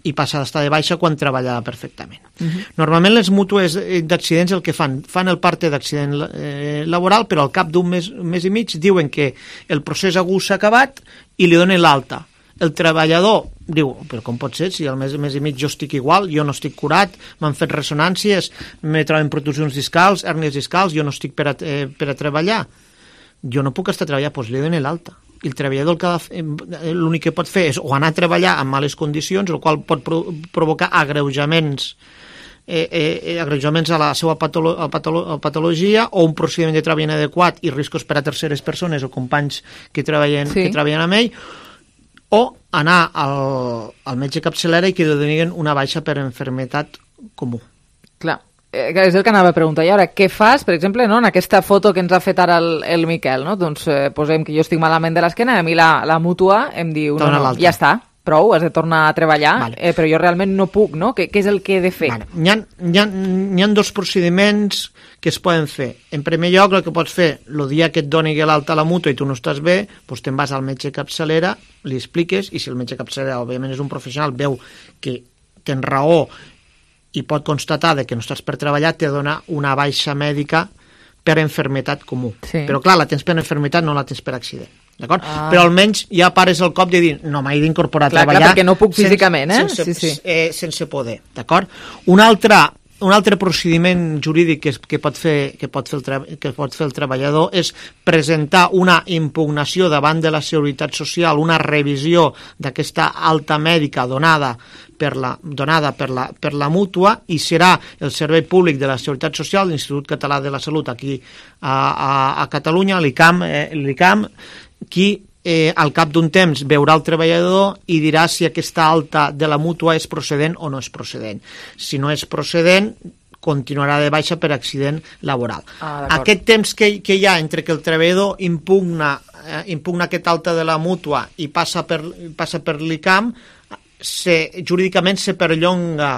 i passa a estar de baixa quan treballava perfectament. Uh-huh. Normalment les mútues d'accidents el que fan, fan el parte d'accident eh, laboral, però al cap d'un mes, mes i mig diuen que el procés agut s'ha acabat i li donen l'alta. El treballador diu, però com pot ser, si al mes, mes i mig jo estic igual, jo no estic curat, m'han fet ressonàncies, me troben protusions discals, hèrnies discals, jo no estic per a, eh, per a treballar. Jo no puc estar a treballar, doncs li donen l'alta. I el treballador l'únic que pot fer és o anar a treballar en males condicions, el qual pot pro provocar agreujaments eh, eh, agreujaments a la seva patolo a patolo a patologia o un procediment de treball inadequat i riscos per a terceres persones o companys que treballen, sí. que treballen amb ell, o anar al, al metge capçalera i que li donin una baixa per enfermetat comú. Clar. És el que anava a preguntar. I ara, què fas, per exemple, no, en aquesta foto que ens ha fet ara el, el Miquel, no? Doncs eh, posem que jo estic malament de l'esquena i a mi la, la mútua em diu, no, no, ja està, prou, has de tornar a treballar, vale. eh, però jo realment no puc, no? Què, què és el que he de fer? Vale. Hi ha, hi ha, hi ha dos procediments que es poden fer. En primer lloc, el que pots fer, el dia que et doni l'alta a la mútua i tu no estàs bé, doncs te'n vas al metge capçalera, li expliques, i si el metge capçalera, òbviament, és un professional, veu que tens raó i pot constatar que no estàs per treballar, te dona una baixa mèdica per enfermetat comú. Sí. Però clar, la tens per enfermetat, no la tens per accident. D'acord? Ah. Però almenys ja pares el cop de dir no, m'he d'incorporar a clar, treballar... Clar, perquè no puc físicament, eh? Sense, sí, sí. Eh, sense poder, d'acord? Un altre, un altre procediment jurídic que, que, pot fer, que, pot fer el que pot fer el treballador és presentar una impugnació davant de la Seguretat Social, una revisió d'aquesta alta mèdica donada per la, donada per la, per la mútua, i serà el Servei Públic de la Seguretat Social, l'Institut Català de la Salut aquí a, a, a Catalunya, l'ICAM, eh, l'ICAM, qui eh, al cap d'un temps veurà el treballador i dirà si aquesta alta de la mútua és procedent o no és procedent. Si no és procedent, continuarà de baixa per accident laboral. Ah, aquest temps que, que hi ha entre que el treballador impugna, eh, impugna aquesta alta de la mútua i passa per, passa per l'ICAM, se, jurídicament se perllonga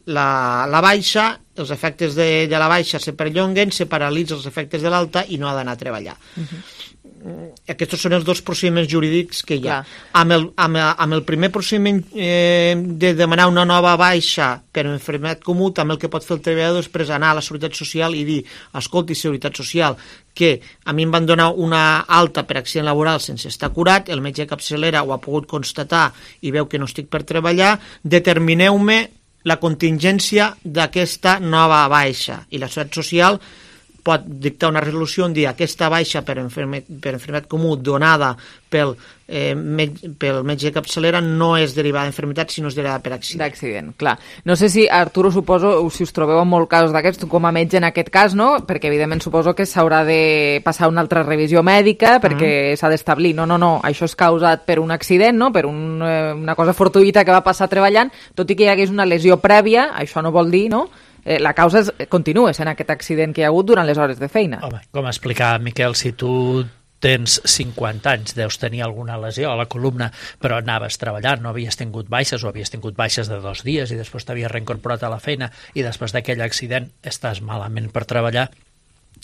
la, la baixa, els efectes de, de la baixa se perllonguen, se paralitza els efectes de l'alta i no ha d'anar a treballar. Uh-huh. Aquests són els dos procediments jurídics que hi ha. Amb el, amb, el, amb el primer procediment eh, de demanar una nova baixa per enfermetat comú, també el que pot fer el treballador és després anar a la Seguretat Social i dir, escolti, Seguretat Social, que a mi em van donar una alta per accident laboral sense estar curat, el metge de capçalera ho ha pogut constatar i veu que no estic per treballar, determineu-me la contingència d'aquesta nova baixa. I la Seguretat Social pot dictar una resolució on dir aquesta baixa per, enferme, per enfermetat comú donada pel, eh, met, pel metge de capçalera no és derivada d'enfermetat, sinó és derivada per accident. D'accident, clar. No sé si, Arturo, suposo, si us trobeu en molts casos d'aquests, com a metge en aquest cas, no? Perquè, evidentment, suposo que s'haurà de passar una altra revisió mèdica perquè uh-huh. s'ha d'establir, no, no, no, això és causat per un accident, no? Per un, eh, una cosa fortuïta que va passar treballant, tot i que hi hagués una lesió prèvia, això no vol dir, no?, Eh, la causa és, continua sent aquest accident que hi ha hagut durant les hores de feina. Home, com explicava Miquel, si tu tens cinquanta anys, deus tenir alguna lesió a la columna, però anaves treballant, no havies tingut baixes o havies tingut baixes de dos dies i després t'havies reincorporat a la feina i després d'aquell accident estàs malament per treballar,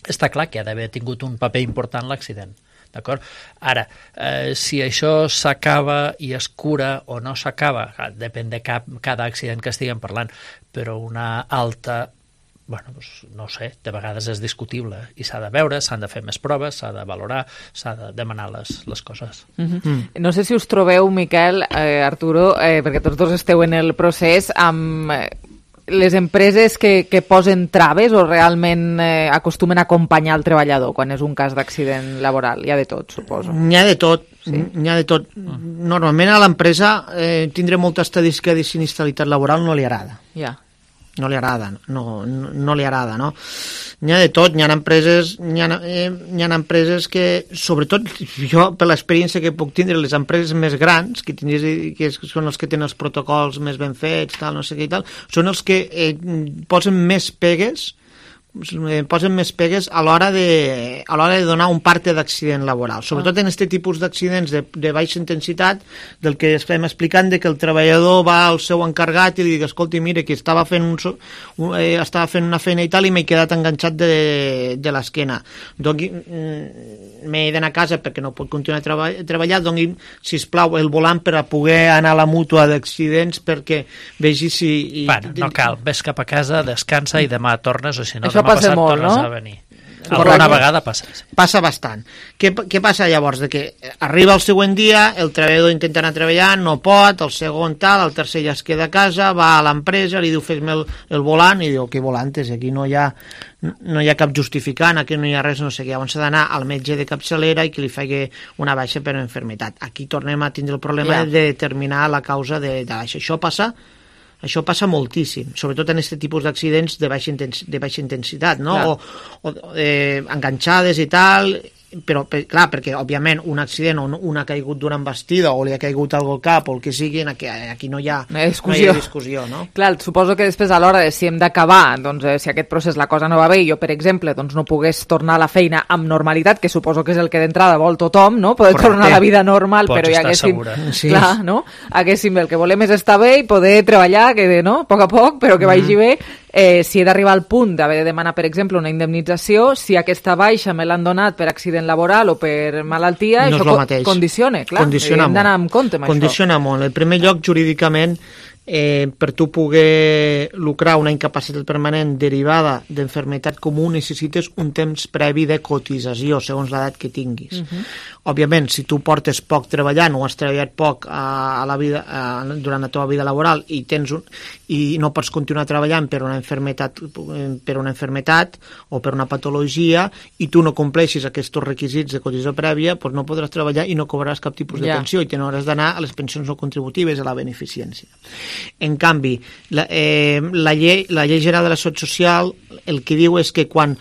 està clar que ha d'haver tingut un paper important l'accident. D'acord? Ara, eh, si això s'acaba i es cura o no s'acaba, depèn de cap, cada accident que estiguem parlant, però una alta, bueno, doncs, no sé, de vegades és discutible i s'ha de veure, s'han de fer més proves, s'ha de valorar, s'ha de demanar les, les coses. Uh-huh. Mm. No sé si us trobeu, Miquel, eh, Arturo, eh, perquè tots dos esteu en el procés, amb... Eh, les empreses que, que posen traves o realment eh, acostumen a acompanyar el treballador quan és un cas d'accident laboral? Hi ha de tot, suposo. N'hi ha de tot, sí? N'hi ha de tot. Normalment a l'empresa eh, tindre molta estadística de sinistralitat laboral no li agrada. Ja. No li agrada, no, no, no li agrada, no? N'hi ha de tot, n'hi ha empreses, n'hi ha, eh, n'hi ha empreses que, sobretot, jo, per l'experiència que puc tindre, les empreses més grans, que, tindries, que són els que tenen els protocols més ben fets, tal, no sé què i tal, són els que eh, posen més pegues, posen més pegues a l'hora de, a l'hora de donar un parte d'accident laboral, sobretot en aquest tipus d'accidents de, de baixa intensitat, del que estem explicant, de que el treballador va al seu encarregat i li diu, escolti, mire, que estava fent, un, un, eh, estava fent una feina i tal i m'he quedat enganxat de, de l'esquena, doni, m'he d'anar a casa perquè no puc continuar a treba, treballar, doni, sisplau, el volant per a poder anar a la mútua d'accidents perquè vegi si... I, bueno, no cal, ves cap a casa, descansa i demà tornes, o si no, això demà passa passat molt, tornes no? a venir. Alguna vegada passa. Sí. Passa bastant. Què, què passa llavors? De que arriba el següent dia, el treballador intenta anar a treballar, no pot, el segon tal, el tercer ja es queda a casa, va a l'empresa, li diu fes-me el, el volant, i diu, què volantes? Aquí no hi ha, no hi ha cap justificant, aquí no hi ha res, no sé què. Llavors s'ha d'anar al metge de capçalera i que li faci una baixa per enfermetat. Aquí tornem a tindre el problema yeah. de determinar la causa de, de baixa. Això passa Això passa moltíssim, sobretot en aquest tipus d'accidents de baixa, intens de baixa intensitat, no? O, o eh, enganxades i tal, però per, clar, perquè òbviament un accident on un ha caigut d'una embestida o li ha caigut algo al cap o el que sigui, aquí, aquí no hi ha, no hi ha discussió, no hi ha discussió no? Clar, suposo que després a l'hora de si hem d'acabar, doncs eh, si aquest procés la cosa no va bé i jo, per exemple, doncs no pogués tornar a la feina amb normalitat, que suposo que és el que d'entrada vol tothom, no? Poder Correcte. Tornar a la vida normal, Pots però hi haguéssim, sí. clar, no? Haguéssim, el que volem és estar bé i poder treballar, que no? A poc a poc, però que vagi mm. bé. Eh, si he d'arribar al punt d'haver de demanar, per exemple, una indemnització, si aquesta baixa me l'han donat per accident laboral o per malaltia, no això co condiciona, clar, condiciona hem d'anar amb compte amb condiciona això. molt. En primer lloc, jurídicament, eh, per tu poder lucrar una incapacitat permanent derivada d'enfermetat comú necessites un temps previ de cotització, segons l'edat que tinguis. Uh-huh. Òbviament, si tu portes poc treballant o has treballat poc a, a la vida, a, durant la teva vida laboral i tens un, i no pots continuar treballant per una enfermetat per una enfermetat o per una patologia i tu no compleixis aquests requisits de cotització prèvia, doncs no podràs treballar i no cobraràs cap tipus de yeah. pensió i te n'hauràs d'anar a les pensions no contributives, a la beneficència. En canvi, la, eh, la, llei, la llei general de la Seguretat Social el que diu és que quan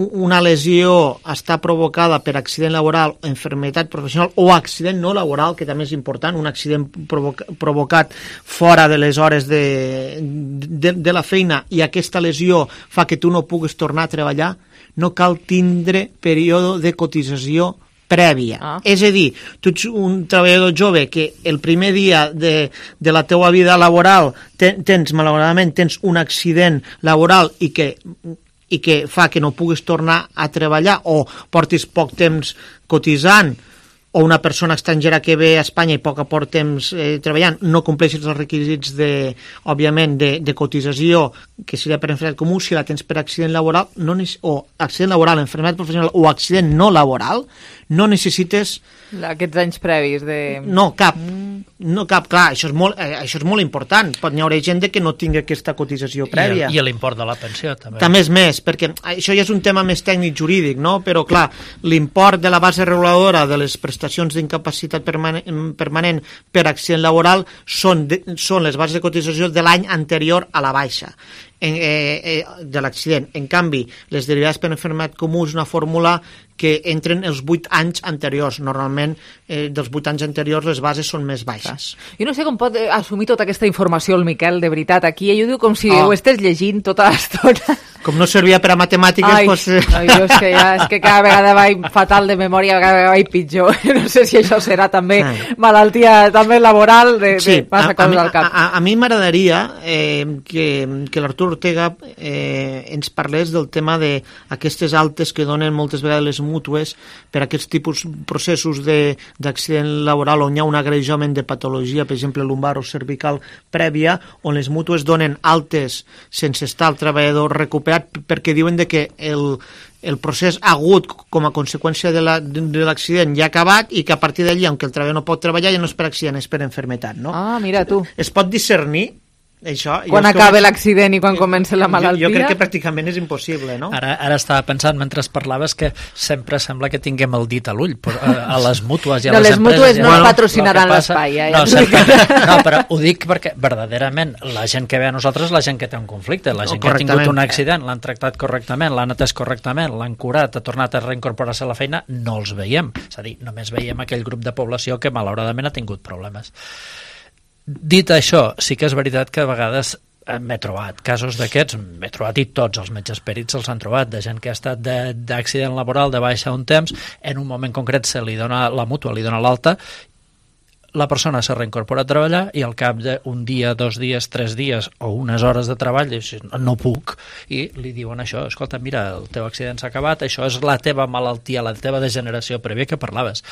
una lesió està provocada per accident laboral, enfermetat professional o accident no laboral, que també és important, un accident provoca, provocat fora de les hores de, de, de la feina i aquesta lesió fa que tu no puguis tornar a treballar, no cal tindre període de cotització prèvia. Ah. És a dir, tu ets un treballador jove que el primer dia de, de la teua vida laboral ten, tens, malauradament, tens un accident laboral i que i que fa que no puguis tornar a treballar o portis poc temps cotitzant, o una persona estrangera que ve a Espanya i poc a poc temps eh, treballant, no compleixis els requisits, de, òbviament, de, de cotització, que seria per enfermedad comú, si la tens per accident laboral, no, o accident laboral, enfermedad professional o accident no laboral, no necessites... Aquests anys previs de... No, cap. No cap, clar, això és molt, eh, això és molt important. Pot n'hi haurà gent que no tingui aquesta cotització prèvia. I, i l'import de la pensió, també. També és més, perquè això ja és un tema més tècnic jurídic, no? Però, clar, l'import de la base reguladora de les prestacions d'incapacitat permanent, permanent per accident laboral són, de, són les bases de cotització de l'any anterior a la baixa. En, eh, eh, de l'accident. En canvi, les derivades per enfermedad comú és una fórmula que entren els vuit anys anteriors. Normalment, eh, dels vuit anys anteriors, les bases són més baixes. Jo no sé com pot assumir tota aquesta informació el Miquel, de veritat. Aquí ell ho diu com si oh. ho estigués llegint tota l'estona. Com no servia per a matemàtiques, ai, doncs... Ai, jo és que, ja, és que cada vegada vaig fatal de memòria, cada vegada vaig pitjor. No sé si això serà també ai. malaltia també laboral, de, sí, de passa coses al cap. A, a, a mi m'agradaria eh, que, que l'Artur Ortega eh, ens parlés del tema d'aquestes altes que donen moltes vegades les mútues per aquests tipus processos d'accident laboral on hi ha un agreujament de patologia, per exemple lumbar o cervical prèvia, on les mútues donen altes sense estar el treballador recuperat, perquè diuen de que el, el procés agut com a conseqüència de l'accident ja ha acabat i que a partir d'allí, aunque el treballador no pot treballar, ja no és per accident, és per enfermetat, no? Ah, mira tu. Es pot discernir això, quan acaba que... l'accident i quan comença la malaltia? Jo, jo crec que pràcticament és impossible, no? Ara, ara estava pensant, mentre parlaves, que sempre sembla que tinguem el dit a l'ull, a, a les mútues i a no, les, les empreses... mútues no bueno, patrocinaran l'espai. Eh? No, sempre, no, però ho dic perquè, verdaderament, la gent que ve a nosaltres és la gent que té un conflicte, la gent que ha tingut un accident, l'han tractat correctament, l'han atès correctament, l'han curat, ha tornat a reincorporar-se a la feina, no els veiem. És a dir, només veiem aquell grup de població que, malauradament, ha tingut problemes. Dit això, sí que és veritat que a vegades m'he trobat casos d'aquests, m'he trobat i tots els metges perits se'ls han trobat, de gent que ha estat d'accident laboral de baixa un temps, en un moment concret se li dona la mútua, li dona l'alta, la persona se reincorpora a treballar i al cap d'un dia, dos dies, tres dies o unes hores de treball dius, no puc, i li diuen això, escolta, mira, el teu accident s'ha acabat, això és la teva malaltia, la teva degeneració prèvia que parlaves.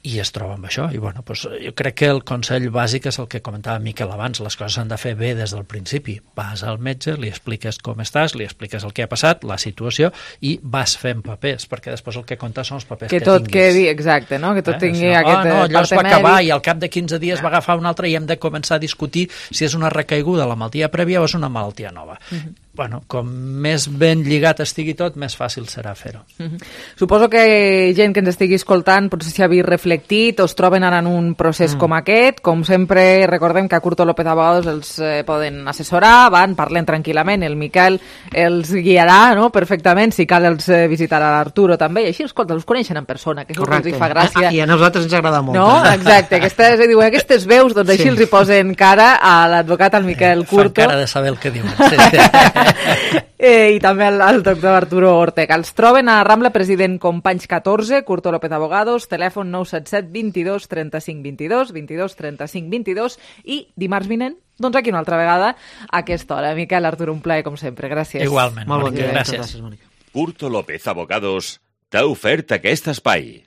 I es troba amb això, i bueno, doncs, jo crec que el consell bàsic és el que comentava Miquel abans, les coses s'han de fer bé des del principi. Vas al metge, li expliques com estàs, li expliques el que ha passat, la situació, i vas fent papers, perquè després el que compta són els papers que, que tot tinguis. quedi, exacte, no? Que tot eh? tingui no, aquest oh, no, allò es va mèdic. acabar i al cap de quinze dies va agafar un altre i hem de començar a discutir si és una recaiguda la malaltia prèvia o és una malaltia nova. Uh-huh. Bueno, com més ben lligat estigui tot, més fàcil serà fer-ho. Uh-huh. Suposo que gent que ens estigui escoltant potser s'hi havia reflectit o es troben ara en un procés mm. com aquest. Com sempre, recordem que a Curto López Abogados els eh, poden assessorar, van, parlen tranquil·lament, el Miquel els guiarà, no?, perfectament, si cal els eh, visitarà l'Arturo també, i així, escolta, els coneixen en persona, que és el que els hi fa gràcia. Ah, i a nosaltres ens agrada molt. No? Exacte, aquestes, diuen, aquestes veus, doncs així sí. els hi posen cara a l'advocat, al Miquel Curto. Fan cara de saber el que diuen. Sí, sí. eh, i també al, al doctor Arturo Ortega. Els troben a Rambla President Companys catorze, Curto López Abogados, telèfon nou set set vint-i-dos trenta-cinc vint-i-dos, vint-i-dos trenta-cinc vint-i-dos, i dimarts vinent, doncs aquí una altra vegada a aquesta hora. Miquel, Arturo, un plaer com sempre. Gràcies. Igualment. Molt bon dia. Gràcies. Gràcies, Mònica. Curto López Abogados t'ha ofert aquest espai.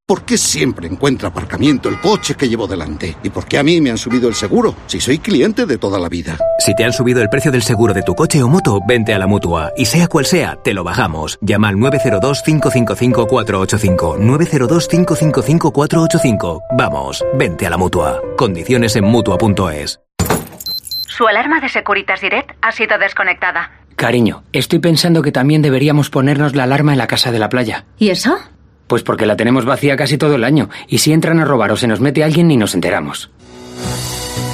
¿Por qué siempre encuentra aparcamiento el coche que llevo delante? ¿Y por qué a mí me han subido el seguro, si soy cliente de toda la vida? Si te han subido el precio del seguro de tu coche o moto, vente a la Mutua. Y sea cual sea, te lo bajamos. Llama al nueve cero dos, cinco cinco cinco, cuatro ocho cinco. nueve cero dos, cinco cinco cinco, cuatro ocho cinco. Vamos, vente a la Mutua. Condiciones en Mutua punto es. Su alarma de Securitas Direct ha sido desconectada. Cariño, estoy pensando que también deberíamos ponernos la alarma en la casa de la playa. ¿Y eso? Pues porque la tenemos vacía casi todo el año, y si entran a robar o se nos mete alguien ni nos enteramos.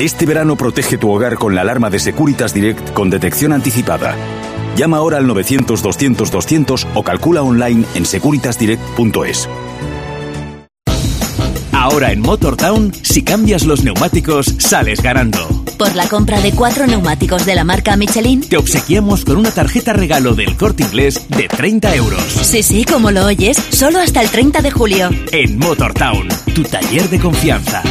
Este verano protege tu hogar con la alarma de Securitas Direct con detección anticipada. Llama ahora al novecientos, doscientos, doscientos o calcula online en securitas direct punto es. Ahora en Motortown, si cambias los neumáticos, sales ganando. Por la compra de cuatro neumáticos de la marca Michelin, te obsequiamos con una tarjeta regalo del Corte Inglés de treinta euros. Sí, sí, como lo oyes, solo hasta el treinta de julio. En Motortown, tu taller de confianza.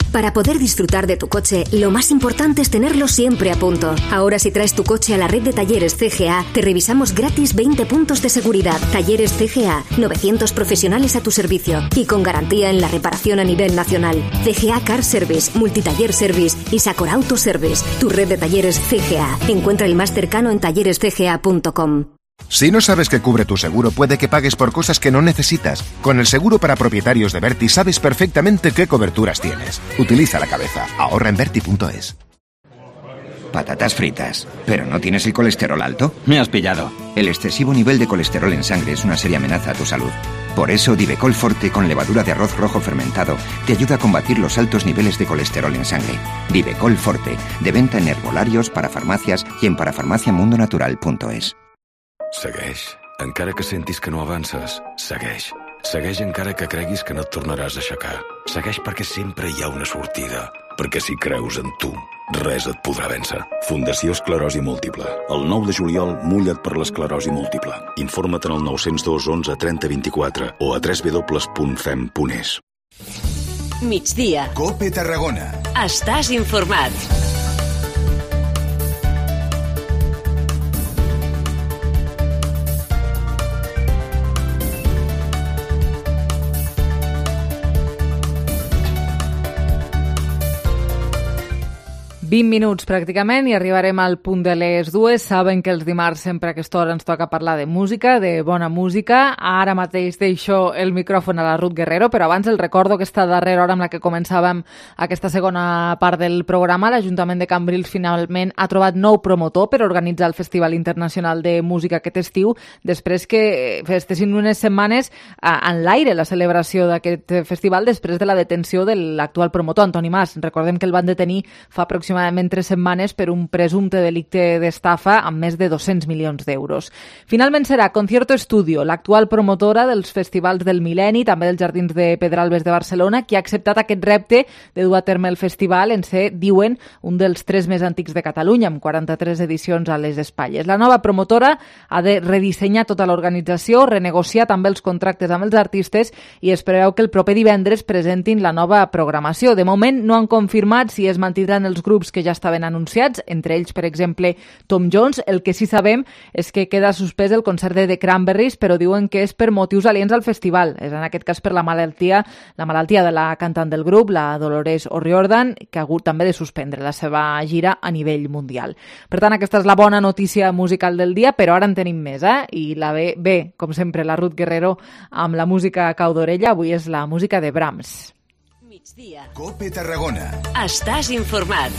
Para poder disfrutar de tu coche, lo más importante es tenerlo siempre a punto. Ahora, si traes tu coche a la red de talleres C G A, te revisamos gratis veinte puntos de seguridad. Talleres C G A, novecientos profesionales a tu servicio y con garantía en la reparación a nivel nacional. C G A Car Service, Multitaller Service y Sacor Auto Service. Tu red de talleres C G A. Encuentra el más cercano en talleres c g a punto com. Si no sabes qué cubre tu seguro, puede que pagues por cosas que no necesitas. Con el seguro para propietarios de Berti sabes perfectamente qué coberturas tienes. Utiliza la cabeza. Ahorra en Berti punto es. Patatas fritas. ¿Pero no tienes el colesterol alto? Me has pillado. El excesivo nivel de colesterol en sangre es una seria amenaza a tu salud. Por eso, Divecol Forte con levadura de arroz rojo fermentado te ayuda a combatir los altos niveles de colesterol en sangre. Divecol Forte, de venta en herbolarios, parafarmacias y en parafarmaciamundonatural punto es. Segueix. Encara que sentis que no avances, segueix. Segueix encara que creguis que no et tornaràs a aixecar. Segueix perquè sempre hi ha una sortida. Perquè si creus en tu, res et podrà vèncer. Fundació Esclerosi Múltiple. El nou de juliol, mulla't per l'esclerosi múltiple. Informa't en el nou zero dos onze trenta vint-i-quatre o a w w w punt fem punt es. Migdia. Cope Tarragona. Estàs informat. vint minuts pràcticament i arribarem al punt de les dues. Saben que els dimarts sempre a aquesta hora ens toca parlar de música, de bona música. Ara mateix deixo el micròfon a la Ruth Guerrero, però abans el recordo aquesta darrera hora amb la que començàvem aquesta segona part del programa. L'Ajuntament de Cambrils finalment ha trobat nou promotor per organitzar el Festival Internacional de Música aquest estiu, després que estessin unes setmanes en l'aire la celebració d'aquest festival després de la detenció de l'actual promotor, Antoni Mas. Recordem que el van detenir fa aproximadament aproximadament tres setmanes per un presumpte delicte d'estafa amb més de dos-cents milions d'euros. Finalment serà Concierto Estudio, l'actual promotora dels festivals del Mil·lenni, també dels Jardins de Pedralbes de Barcelona, qui ha acceptat aquest repte de dur a terme el festival en ser, diuen, un dels tres més antics de Catalunya, amb quaranta-tres edicions a les espatlles. La nova promotora ha de redissenyar tota l'organització, renegociar també els contractes amb els artistes i es preveu que el proper divendres presentin la nova programació. De moment no han confirmat si es mantindran els grups que ja estaven anunciats, entre ells, per exemple, Tom Jones. El que sí sabem és que queda suspès el concert de The Cranberries, però diuen que és per motius aliens al festival. És en aquest cas per la malaltia, la malaltia de la cantant del grup, la Dolores O'Riordan, que ha hagut també de suspendre la seva gira a nivell mundial. Per tant, aquesta és la bona notícia musical del dia, però ara en tenim més, eh? I la ve, bé, com sempre, la Ruth Guerrero amb la música a cau d'orella. Avui és la música de Brahms. Migdia. Cope Tarragona. Estàs informat.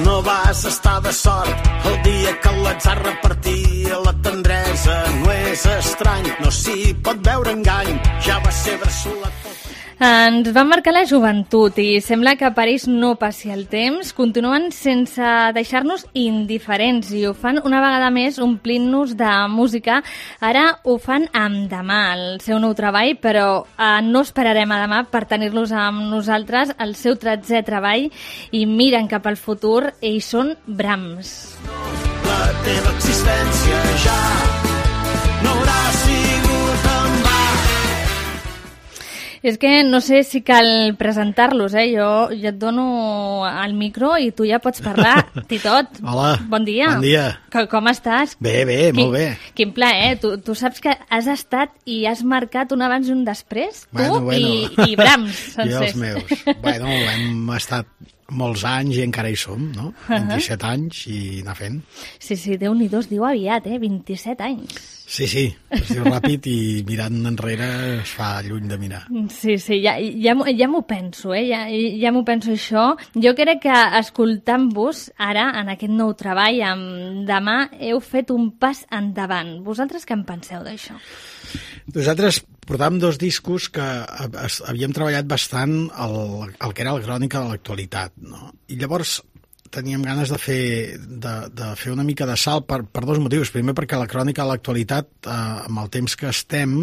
No vas estar de sort el dia que l'atzar repartia la tendresa. No és estrany, no s'hi pot veure engany. Ja va ser bressolat pel... Ens van marcar la joventut i sembla que per ells no passi el temps. Continuen sense deixar-nos indiferents i ho fan una vegada més omplint-nos de música. Ara ho fan amb Demà, el seu nou treball, però eh, no esperarem a demà per tenir-los amb nosaltres, el seu tretzè treball, i miren cap al futur. Ells són Brahms. La teva existència ja no haurà sigut en va. És que no sé si cal presentar-los, eh? Jo, jo et dono el micro i tu ja pots parlar. Titot, hola. Bon dia. Bon dia. Com, com estàs? Bé, bé, quin, molt bé. Quin plaer, eh? Tu, tu saps que has estat i has marcat un abans i un després? Bueno, tu bueno. I, i Brahms, Jo els meus. Bueno, hem estat molts anys i encara hi som, no? vint-i-set uh-huh. anys i anar fent. Sí, sí, Déu-n'hi-do, es diu aviat, eh? vint-i-set anys. Sí, sí, es diu ràpid i mirant enrere es fa lluny de mirar. Sí, sí, ja, ja, ja m'ho penso, eh? Ja, ja m'ho penso això. Jo crec que escoltant-vos ara, en aquest nou treball, amb Demà, heu fet un pas endavant. Vosaltres què en penseu d'això? Nosaltres portàvem dos discos que havíem treballat bastant el, el que era la crònica de l'actualitat, no? I llavors teníem ganes de fer, de, de fer una mica de salt per, per dos motius. Primer, perquè la crònica de l'actualitat, eh, amb el temps que estem,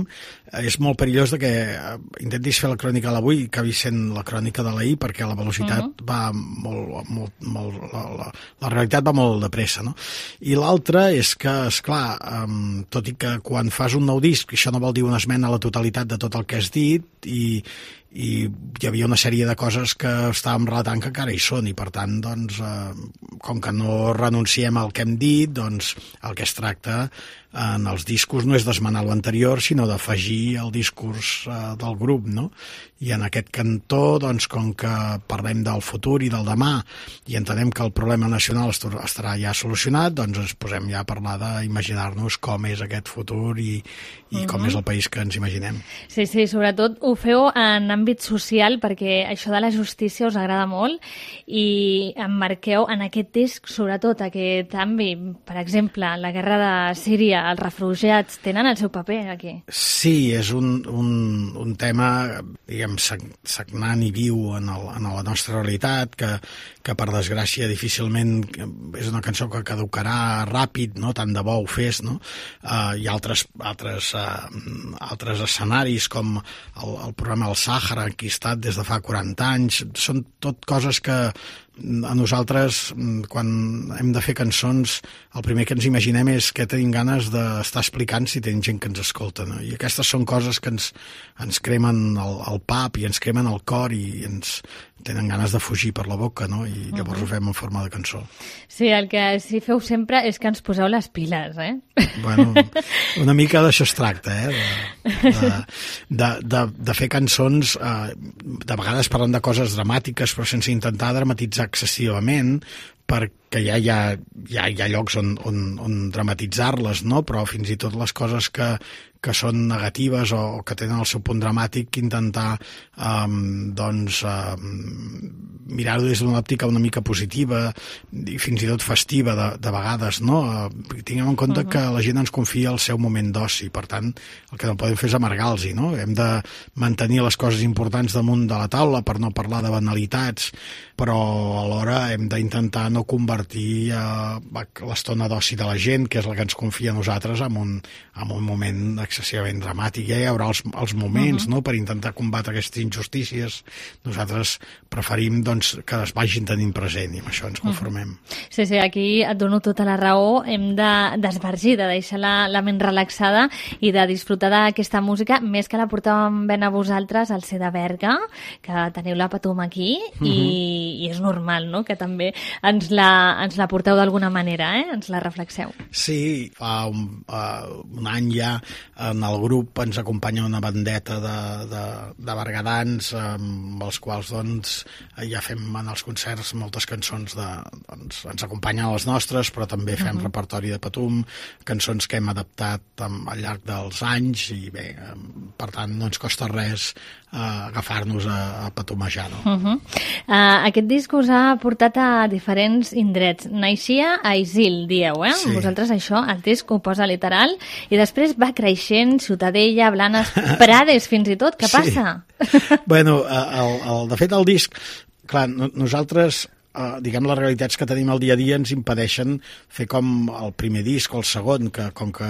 eh, és molt perillós de que eh, intentis fer la crònica de l'avui i acabi sent la crònica de l'ahir, perquè la velocitat uh-huh. va molt... molt, molt la, la, la realitat va molt de pressa, no? I l'altre és que, esclar, eh, tot i que quan fas un nou disc, això no vol dir una esmena a la totalitat de tot el que has dit, i, i hi havia una sèrie de coses que estàvem relatant que encara hi són, i per tant, doncs, eh, com que no renunciem al que hem dit, doncs el que es tracta en els discos no és d'esmenar l'anterior, sinó d'afegir el discurs eh, del grup, no? I en aquest cantó, doncs, com que parlem del futur i del demà i entenem que el problema nacional estarà ja solucionat, doncs ens posem ja a parlar d'imaginar-nos com és aquest futur i, i uh-huh. com és el país que ens imaginem. Sí, sí, sobretot ho feu en àmbit social, perquè això de la justícia us agrada molt i emmarqueu en aquest disc, sobretot aquest àmbit, per exemple, la guerra de Síria, els refugiats tenen el seu paper aquí. Sí, és un, un, un tema, diguem, sagnant i viu en, el, en la nostra realitat, que, que per desgràcia difícilment és una cançó que caducarà ràpid, no? Tant de bo ho fes, no? Uh, hi ha altres, altres, uh, altres escenaris com el, el programa El Sàhara, que he estat des de fa quaranta anys, són tot coses que a nosaltres, quan hem de fer cançons, el primer que ens imaginem és què tenim ganes d'estar explicant si tenim gent que ens escolta, no? I aquestes són coses que ens, ens cremen el, el pap i ens cremen el cor i ens tenen ganes de fugir per la boca, no? I llavors uh-huh. ho fem en forma de cançó. Sí, el que sí feu sempre és que ens poseu les piles, eh? Bueno, una mica d'això es tracta, eh? De, de, de, de, de fer cançons, eh, de vegades parlant de coses dramàtiques, però sense intentar dramatitzar excessivament, perquè ja hi ha, ja hi ha llocs on, on, on dramatitzar-les, no? Però fins i tot les coses que, que són negatives o que tenen el seu punt dramàtic, intentar um, doncs, um, mirar-ho des d'una òptica una mica positiva i fins i tot festiva de, de vegades, no? Uh, tinguem en compte uh-huh. que la gent ens confia el seu moment d'oci, per tant, el que no podem fer és amargar-los, no? Hem de mantenir les coses importants damunt de la taula per no parlar de banalitats, però alhora hem d'intentar no convertir uh, l'estona d'oci de la gent, que és la que ens confia a nosaltres, en un, en un moment excessivament dramàtic. Ja hi haurà els, els moments, uh-huh. no?, per intentar combatre aquestes injustícies. Nosaltres preferim, doncs, que es vagin tenint present i amb això ens conformem. Uh-huh. Sí, sí, aquí et dono tota la raó. Hem d'esbargir, de, de deixar la, la ment relaxada i de disfrutar d'aquesta música, més que la portàvem ben a vosaltres al C de Berga, que teniu la Patum aquí, uh-huh. i, i és normal, no?, que també ens la, ens la porteu d'alguna manera, eh?, ens la reflexeu. Sí, fa un, uh, un any ja en el grup ens acompanya una bandeta de, de, de bergadans amb els quals doncs, ja fem en els concerts moltes cançons de, doncs, ens acompanyen a les nostres, però també fem uh-huh. repertori de Patum, cançons que hem adaptat al llarg dels anys i bé, per tant no ens costa res uh, agafar-nos a, a patumejar, no? Uh-huh. uh, aquest disc us ha portat a diferents indrets. Naixia a Isil, dieu, eh? Sí. Vosaltres això, el disc ho posa literal, i després va creixent, Ciutadella, Blanes, Prades, fins i tot. Què passa? Sí. Bueno, el, el, de fet, el disc, clar, nosaltres, eh, diguem, les realitats que tenim al dia a dia ens impedeixen fer com el primer disc o el segon, que com que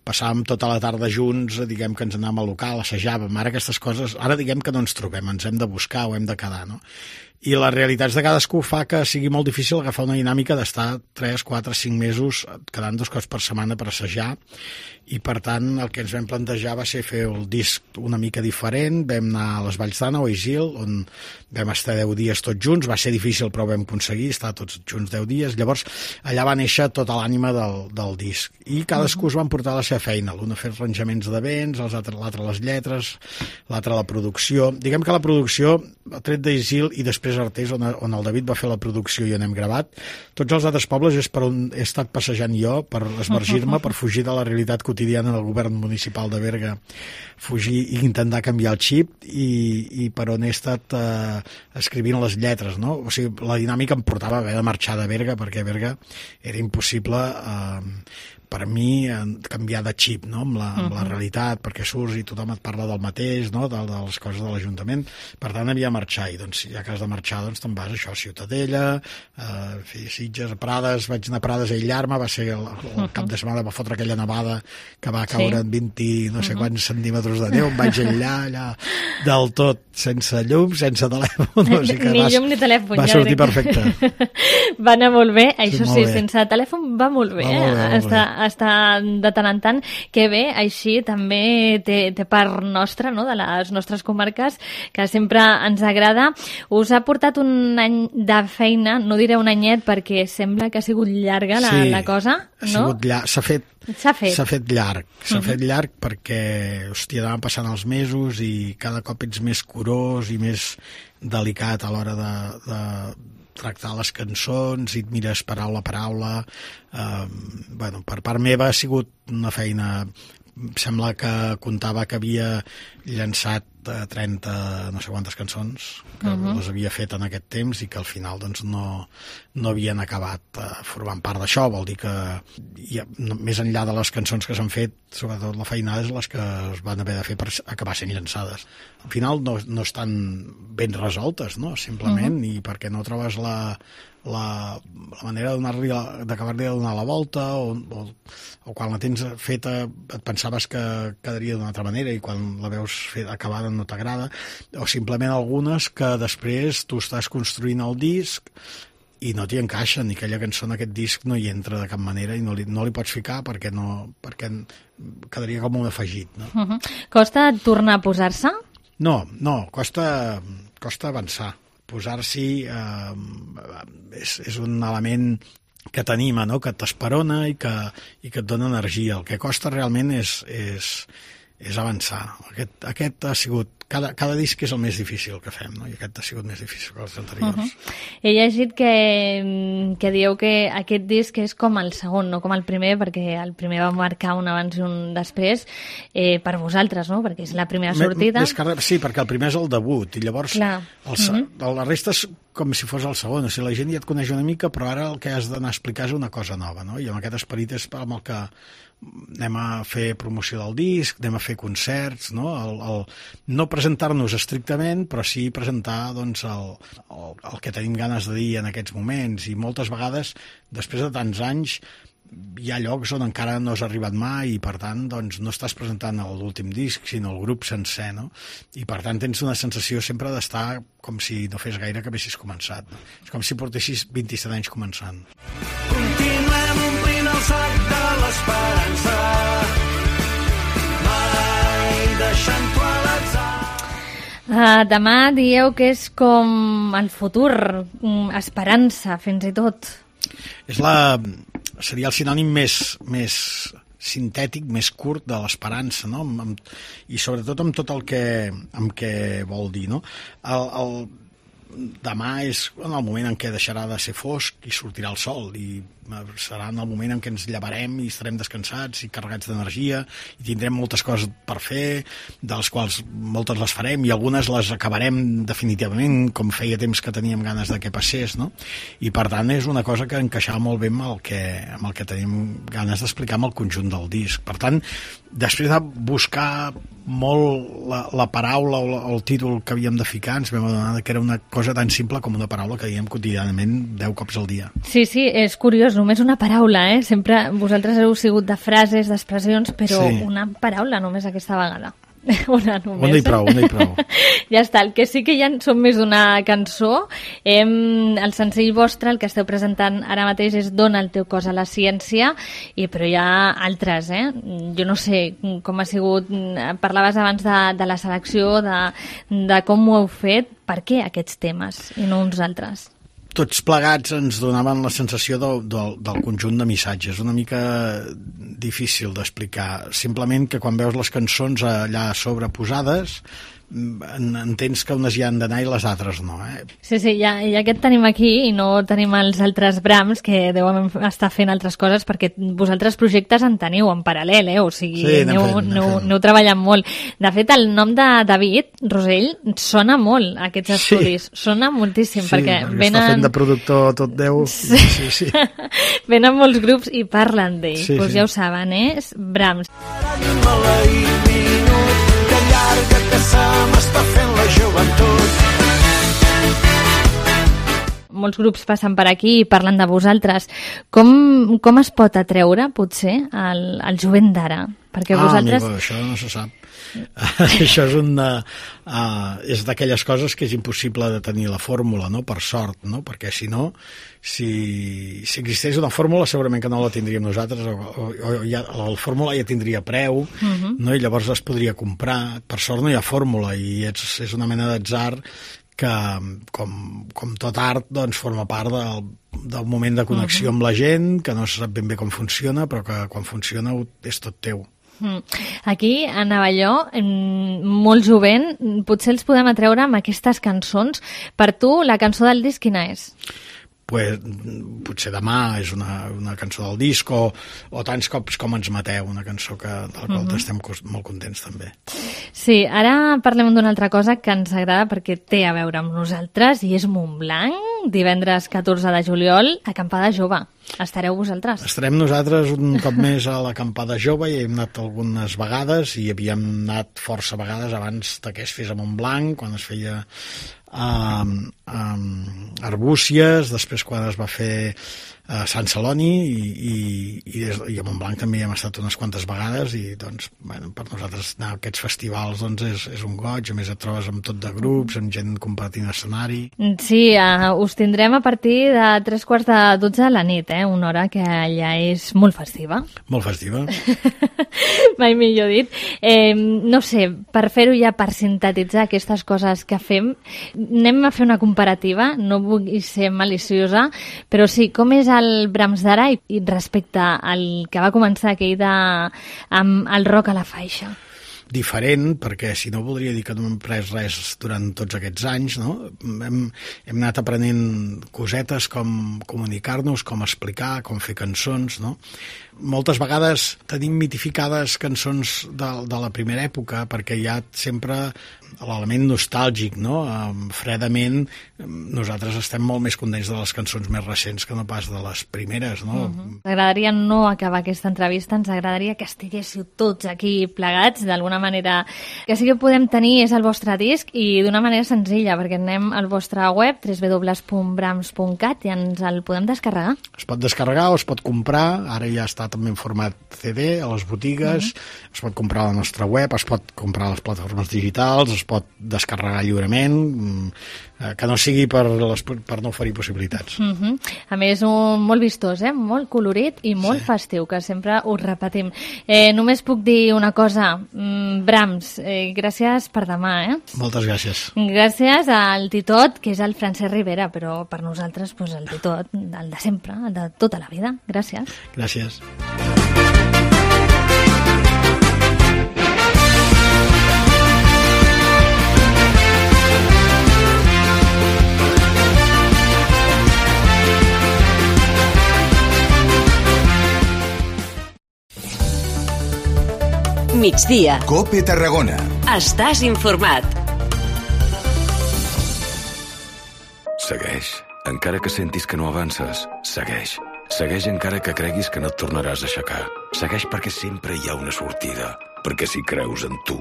passàvem tota la tarda junts, diguem que ens anàvem al local, assajàvem, ara aquestes coses, ara diguem que no ens trobem, ens hem de buscar o hem de quedar, no? I les realitats de cadascú fa que sigui molt difícil agafar una dinàmica d'estar tres, quatre, cinc mesos quedant dos cops per setmana per assajar, i per tant el que ens vam plantejar va ser fer el disc una mica diferent. Vam anar a les Valls d'Àneu, a Isil, on vam estar deu dies tots junts, va ser difícil però vam aconseguir estar tots junts deu dies, llavors allà va néixer tota l'ànima del, del disc, i cadascú es van portar la seva feina, l'un a fer arranjaments de vents, l'altre les lletres, l'altre la producció. Diguem que la producció, tret d'Isil i després Artés, on, on el David va fer la producció i on hem gravat, tots els altres pobles és per on he estat passejant jo per esmergir-me, per fugir de la realitat quotidiana del govern municipal de Berga, fugir i intentar canviar el xip, i, i per on he estat eh, escrivint les lletres, no? O sigui, la dinàmica em portava a haver de marxar de Berga, perquè a Berga era impossible eh, per mi canviar de xip, no?, amb la, amb la realitat, perquè surts i tothom et parla del mateix, no?, de, de les coses de l'Ajuntament. Per tant, havia de marxar, i doncs ja que has de marxar marxar, doncs te'n vas això, a Ciutadella, a Sitges, a Prades, vaig anar a Prades a aïllar-me, va ser el, el cap de setmana, va fotre aquella nevada que va caure sí. en vint no sé uh -huh. quants centímetres de neu, em vaig aïllar allà del tot, sense llum, sense telèfon. O sigui que ni vas, llum ni telèfon. Va ja sortir dic. perfecte. Va anar molt bé, això sí, sí, bé. sense telèfon va molt bé, va molt bé, eh? Està, està de tant en tant, que bé, així també té, té part nostra, no?, de les nostres comarques, que sempre ens agrada. Us ha portat un any de feina, no diré un anyet perquè sembla que ha sigut llarga la, sí, la cosa, no? Ha sigut llarg, s'ha fet, s'ha fet. S'ha fet llarg, s'ha uh -huh. fet llarg perquè, hòstia, anaven passant els mesos i cada cop ets més curós i més delicat a l'hora de, de tractar les cançons i et mires paraula a paraula. Eh, bueno, per part meva ha sigut una feina, sembla que comptava que havia llançat trenta no sé quantes cançons que uh -huh. les havia fet en aquest temps i que al final doncs no, no havien acabat uh, formant part d'això. Vol dir que ja, no, més enllà de les cançons que s'han fet, sobretot la feinada és les que es van haver de fer per acabar sent llançades. Al final no, no estan ben resoltes, no? Simplement, uh -huh. i perquè no trobes la La, la manera d'acabar-li de donar la volta o, o, o quan la tens feta et pensaves que quedaria d'una altra manera i quan la veus feta, acabada no t'agrada, o simplement algunes que després tu estàs construint el disc i no t'hi encaixa, ni aquella cançó en aquest disc no hi entra de cap manera i no li, no li pots ficar perquè, no, perquè quedaria com un afegit, no? Uh -huh. Costa tornar a posar-se? No, no, costa, costa avançar. Posar-s'hi eh, és, és un element que t'anima, no?, que t'esperona i que, i que et dona energia. El que costa realment és, és, és avançar. Aquest, aquest ha sigut... Cada, cada disc és el més difícil que fem, no? I aquest ha sigut més difícil que els anteriors. Uh -huh. He llegit que, que dieu que aquest disc és com el segon, no com el primer, perquè el primer va marcar un abans i un després eh, per vosaltres, no?, perquè és la primera sortida. Més que, sí, perquè el primer és el debut, i llavors el, uh -huh. la resta és com si fos el segon. O sigui, la gent ja et coneix una mica, però ara el que has d'anar a explicar és una cosa nova, no? I amb aquest esperit és amb el que anem a fer promoció del disc, anem a fer concerts, no? El, el, no presentar-nos estrictament, però sí presentar doncs, el, el, el que tenim ganes de dir en aquests moments. I moltes vegades, després de tants anys, hi ha llocs on encara no has arribat mai i per tant doncs, no estàs presentant l'últim disc sinó el grup sencer, no? I per tant tens una sensació sempre d'estar com si no fes gaire que haguessis començat, no? És com si portessis vint-i-set anys començant. Continuem omplint el sac de l'esperança, mai deixant-ho a l'atzar. Uh, demà dieu que és com el futur, esperança fins i tot. És la... seria el sinònim més, més sintètic, més curt de l'esperança, no? Amb, amb, i sobretot amb tot el que, amb què vol dir, no? El, el, demà és en el moment en què deixarà de ser fosc i sortirà el sol i serà en el moment en què ens llevarem i estarem descansats i carregats d'energia i tindrem moltes coses per fer, de les quals moltes les farem i algunes les acabarem definitivament, com feia temps que teníem ganes de que passés, no? I per tant és una cosa que encaixava molt bé amb el que, amb el que tenim ganes d'explicar amb el conjunt del disc. Per tant, després de buscar molt la, la paraula o, la, o el títol que havíem de ficar, ens vam adonar que era una cosa tan simple com una paraula que diem quotidianament deu cops al dia. Sí, sí, és curiós, només una paraula, eh? Sempre vosaltres heu sigut de frases, d'expressions, però sí. Una paraula només aquesta vegada. Una només. Una i prou, una i prou. Ja està, el que sí que ja són més d'una cançó. Hem, el senzill vostre, el que esteu presentant ara mateix és Dona el teu cos a la ciència, i, però hi ha altres, eh? Jo no sé com ha sigut, parlaves abans de, de la selecció, de, de com ho heu fet, per què aquests temes i no uns altres? Tots plegats ens donaven la sensació del, del, del conjunt de missatges, una mica difícil d'explicar. Simplement que quan veus les cançons allà sobreposades entens que unes hi han d'anar i les altres no, eh? Sí, sí, ja, ja aquest tenim aquí i no tenim els altres brams que deuen estar fent altres coses perquè vosaltres projectes en teniu en paral·lel, eh? O sigui, sí, aneu, fent, aneu, aneu treballant molt. De fet, el nom de David Rosell sona molt a aquests estudis, sí. Sona moltíssim sí, perquè venen... està fent de productor tot Déu sí. Sí, sí. Venen molts grups i parlen d'ell, sí, doncs sí. Ja ho saben, eh? Brams. Que llarga que se m'està fent la joventut. molts grups passen per aquí i parlen de vosaltres. Com, com es pot atreure, potser, el, el jovent d'ara? Perquè ah, vosaltres... amigo, això no se sap. Això és una, uh, és d'aquelles coses que és impossible de tenir la fórmula, no? Per sort, no? Perquè si no, si, si existeix una fórmula segurament que no la tindríem nosaltres, o, o, o ja, la fórmula ja tindria preu, uh-huh. no? I llavors es podria comprar. Per sort no hi ha fórmula i és, és una mena d'atzar que, com, com tot art, doncs, forma part del, del moment de connexió uh-huh. amb la gent, que no se sap ben bé com funciona, però que quan funciona és tot teu. Aquí, a Navalló, molt jovent, potser els podem atreure amb aquestes cançons. Per tu, la cançó del disc quina és? Pues, potser Demà és una, una cançó del disc, o, o Tants cops com ens mateu, una cançó que, de la qual uh-huh. estem molt contents també. Sí, ara parlem d'una altra cosa que ens agrada perquè té a veure amb nosaltres i és Montblanc, divendres catorze de juliol, acampada jove. Estareu vosaltres? Estarem nosaltres un cop més a l'acampada jove i hem anat algunes vegades i havíem anat força vegades abans que es fes a Montblanc, quan es feia a um, um, Arbúcies, després quan es va fer a Sant Celoni i, i, i, des, i a Montblanc també hi hem estat unes quantes vegades i doncs, bueno, per nosaltres anar a aquests festivals doncs, és, és un goig, a més et trobes amb tot de grups, amb gent compartint escenari. Sí, uh, us tindrem a partir de tres quarts de dotze de la nit, eh? Una hora que allà és molt festiva. Molt festiva. Mai millor dit. Eh, no sé, per fer-ho ja, per sintetitzar aquestes coses que fem, anem a fer una comparativa, no vull ser maliciosa, però sí, com és el Brahms d'ara i, i respecte al que va començar aquell de, amb el rock a la faixa? Diferent, perquè si no voldria dir que no hem pres res durant tots aquests anys, no? Hem, hem anat aprenent cosetes com comunicar-nos, com explicar, com fer cançons, no? Moltes vegades tenim mitificades cançons de, de la primera època perquè hi ha sempre l'element nostàlgic, no? Um, fredament, nosaltres estem molt més contents de les cançons més recents que no pas de les primeres, no? Uh-huh. Ens agradaria no acabar aquesta entrevista, ens agradaria que estiguéssiu tots aquí plegats, d'alguna manera. Que sí que podem tenir és el vostre disc i d'una manera senzilla, perquè anem al vostre web, w w w punt brahms punt cat, i ens el podem descarregar. Es pot descarregar o es pot comprar, ara ja està també en format C D a les botigues, uh-huh. es pot comprar a la nostra web, es pot comprar a les plataformes digitals, es pot descarregar lliurement, que no sigui per, les, per no oferir possibilitats. Uh-huh. A més, un, molt vistós, eh? Molt colorit i molt sí. festiu, que sempre us repetim. Eh, només puc dir una cosa, mm, Brahms, eh, gràcies per demà, eh? Moltes gràcies. Gràcies al Titot, que és el Francesc Rivera, però per nosaltres pues, el Titot, el de sempre, el de tota la vida. Gràcies. Gràcies. Migdia. Cope Tarragona. Estàs informat. Segueix. Encara que sentis que no avances, segueix. Segueix encara que creguis que no et tornaràs a aixecar. Segueix perquè sempre hi ha una sortida. Perquè si creus en tu,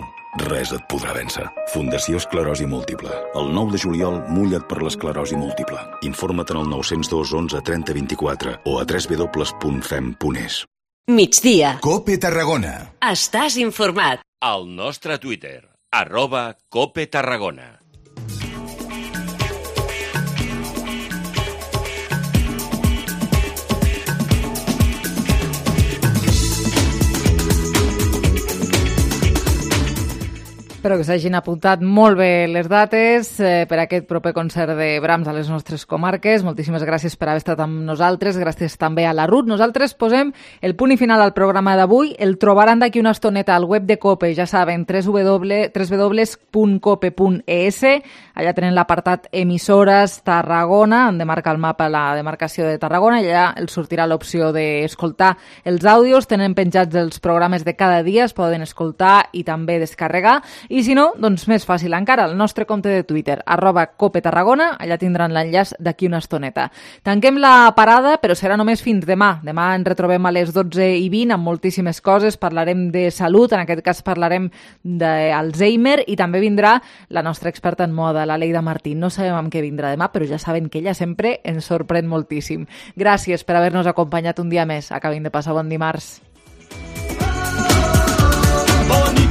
res et podrà vèncer. Fundació Esclerosi Múltiple. El nou de juliol, mulla't per l'esclerosi múltiple. Informa't en el nou zero dos onze trenta vint-i-quatre o a w w w punt fem punt es. Migdia. Cope Tarragona. Estàs informat. Al nostre Twitter, arroba Cope Tarragona. Espero que s'hagin apuntat molt bé les dates eh, per a aquest proper concert de Brahms a les nostres comarques. Moltíssimes gràcies per haver estat amb nosaltres. Gràcies també a la Ruth. Nosaltres posem el punt i final al programa d'avui. El trobaran d'aquí una estoneta al web de COPE, ja saben, w w w punt cope punt es. Allà tenen l'apartat emissores Tarragona, on demarca el mapa la demarcació de Tarragona, i allà els sortirà l'opció d'escoltar els àudios. Tenen penjats els programes de cada dia, es poden escoltar i també descarregar. I I si no, doncs més fàcil encara, el nostre compte de Twitter, arroba Cope Tarragona, allà tindran l'enllaç d'aquí una estoneta. Tanquem la parada, però serà només fins demà. Demà ens retrobem a les dotze i vint amb moltíssimes coses, parlarem de salut, en aquest cas parlarem d'Alzheimer i també vindrà la nostra experta en moda, la Leida Martín. No sabem amb què vindrà demà, però ja saben que ella sempre ens sorprèn moltíssim. Gràcies per haver-nos acompanyat un dia més. Acabin de passar bon dimarts. Bon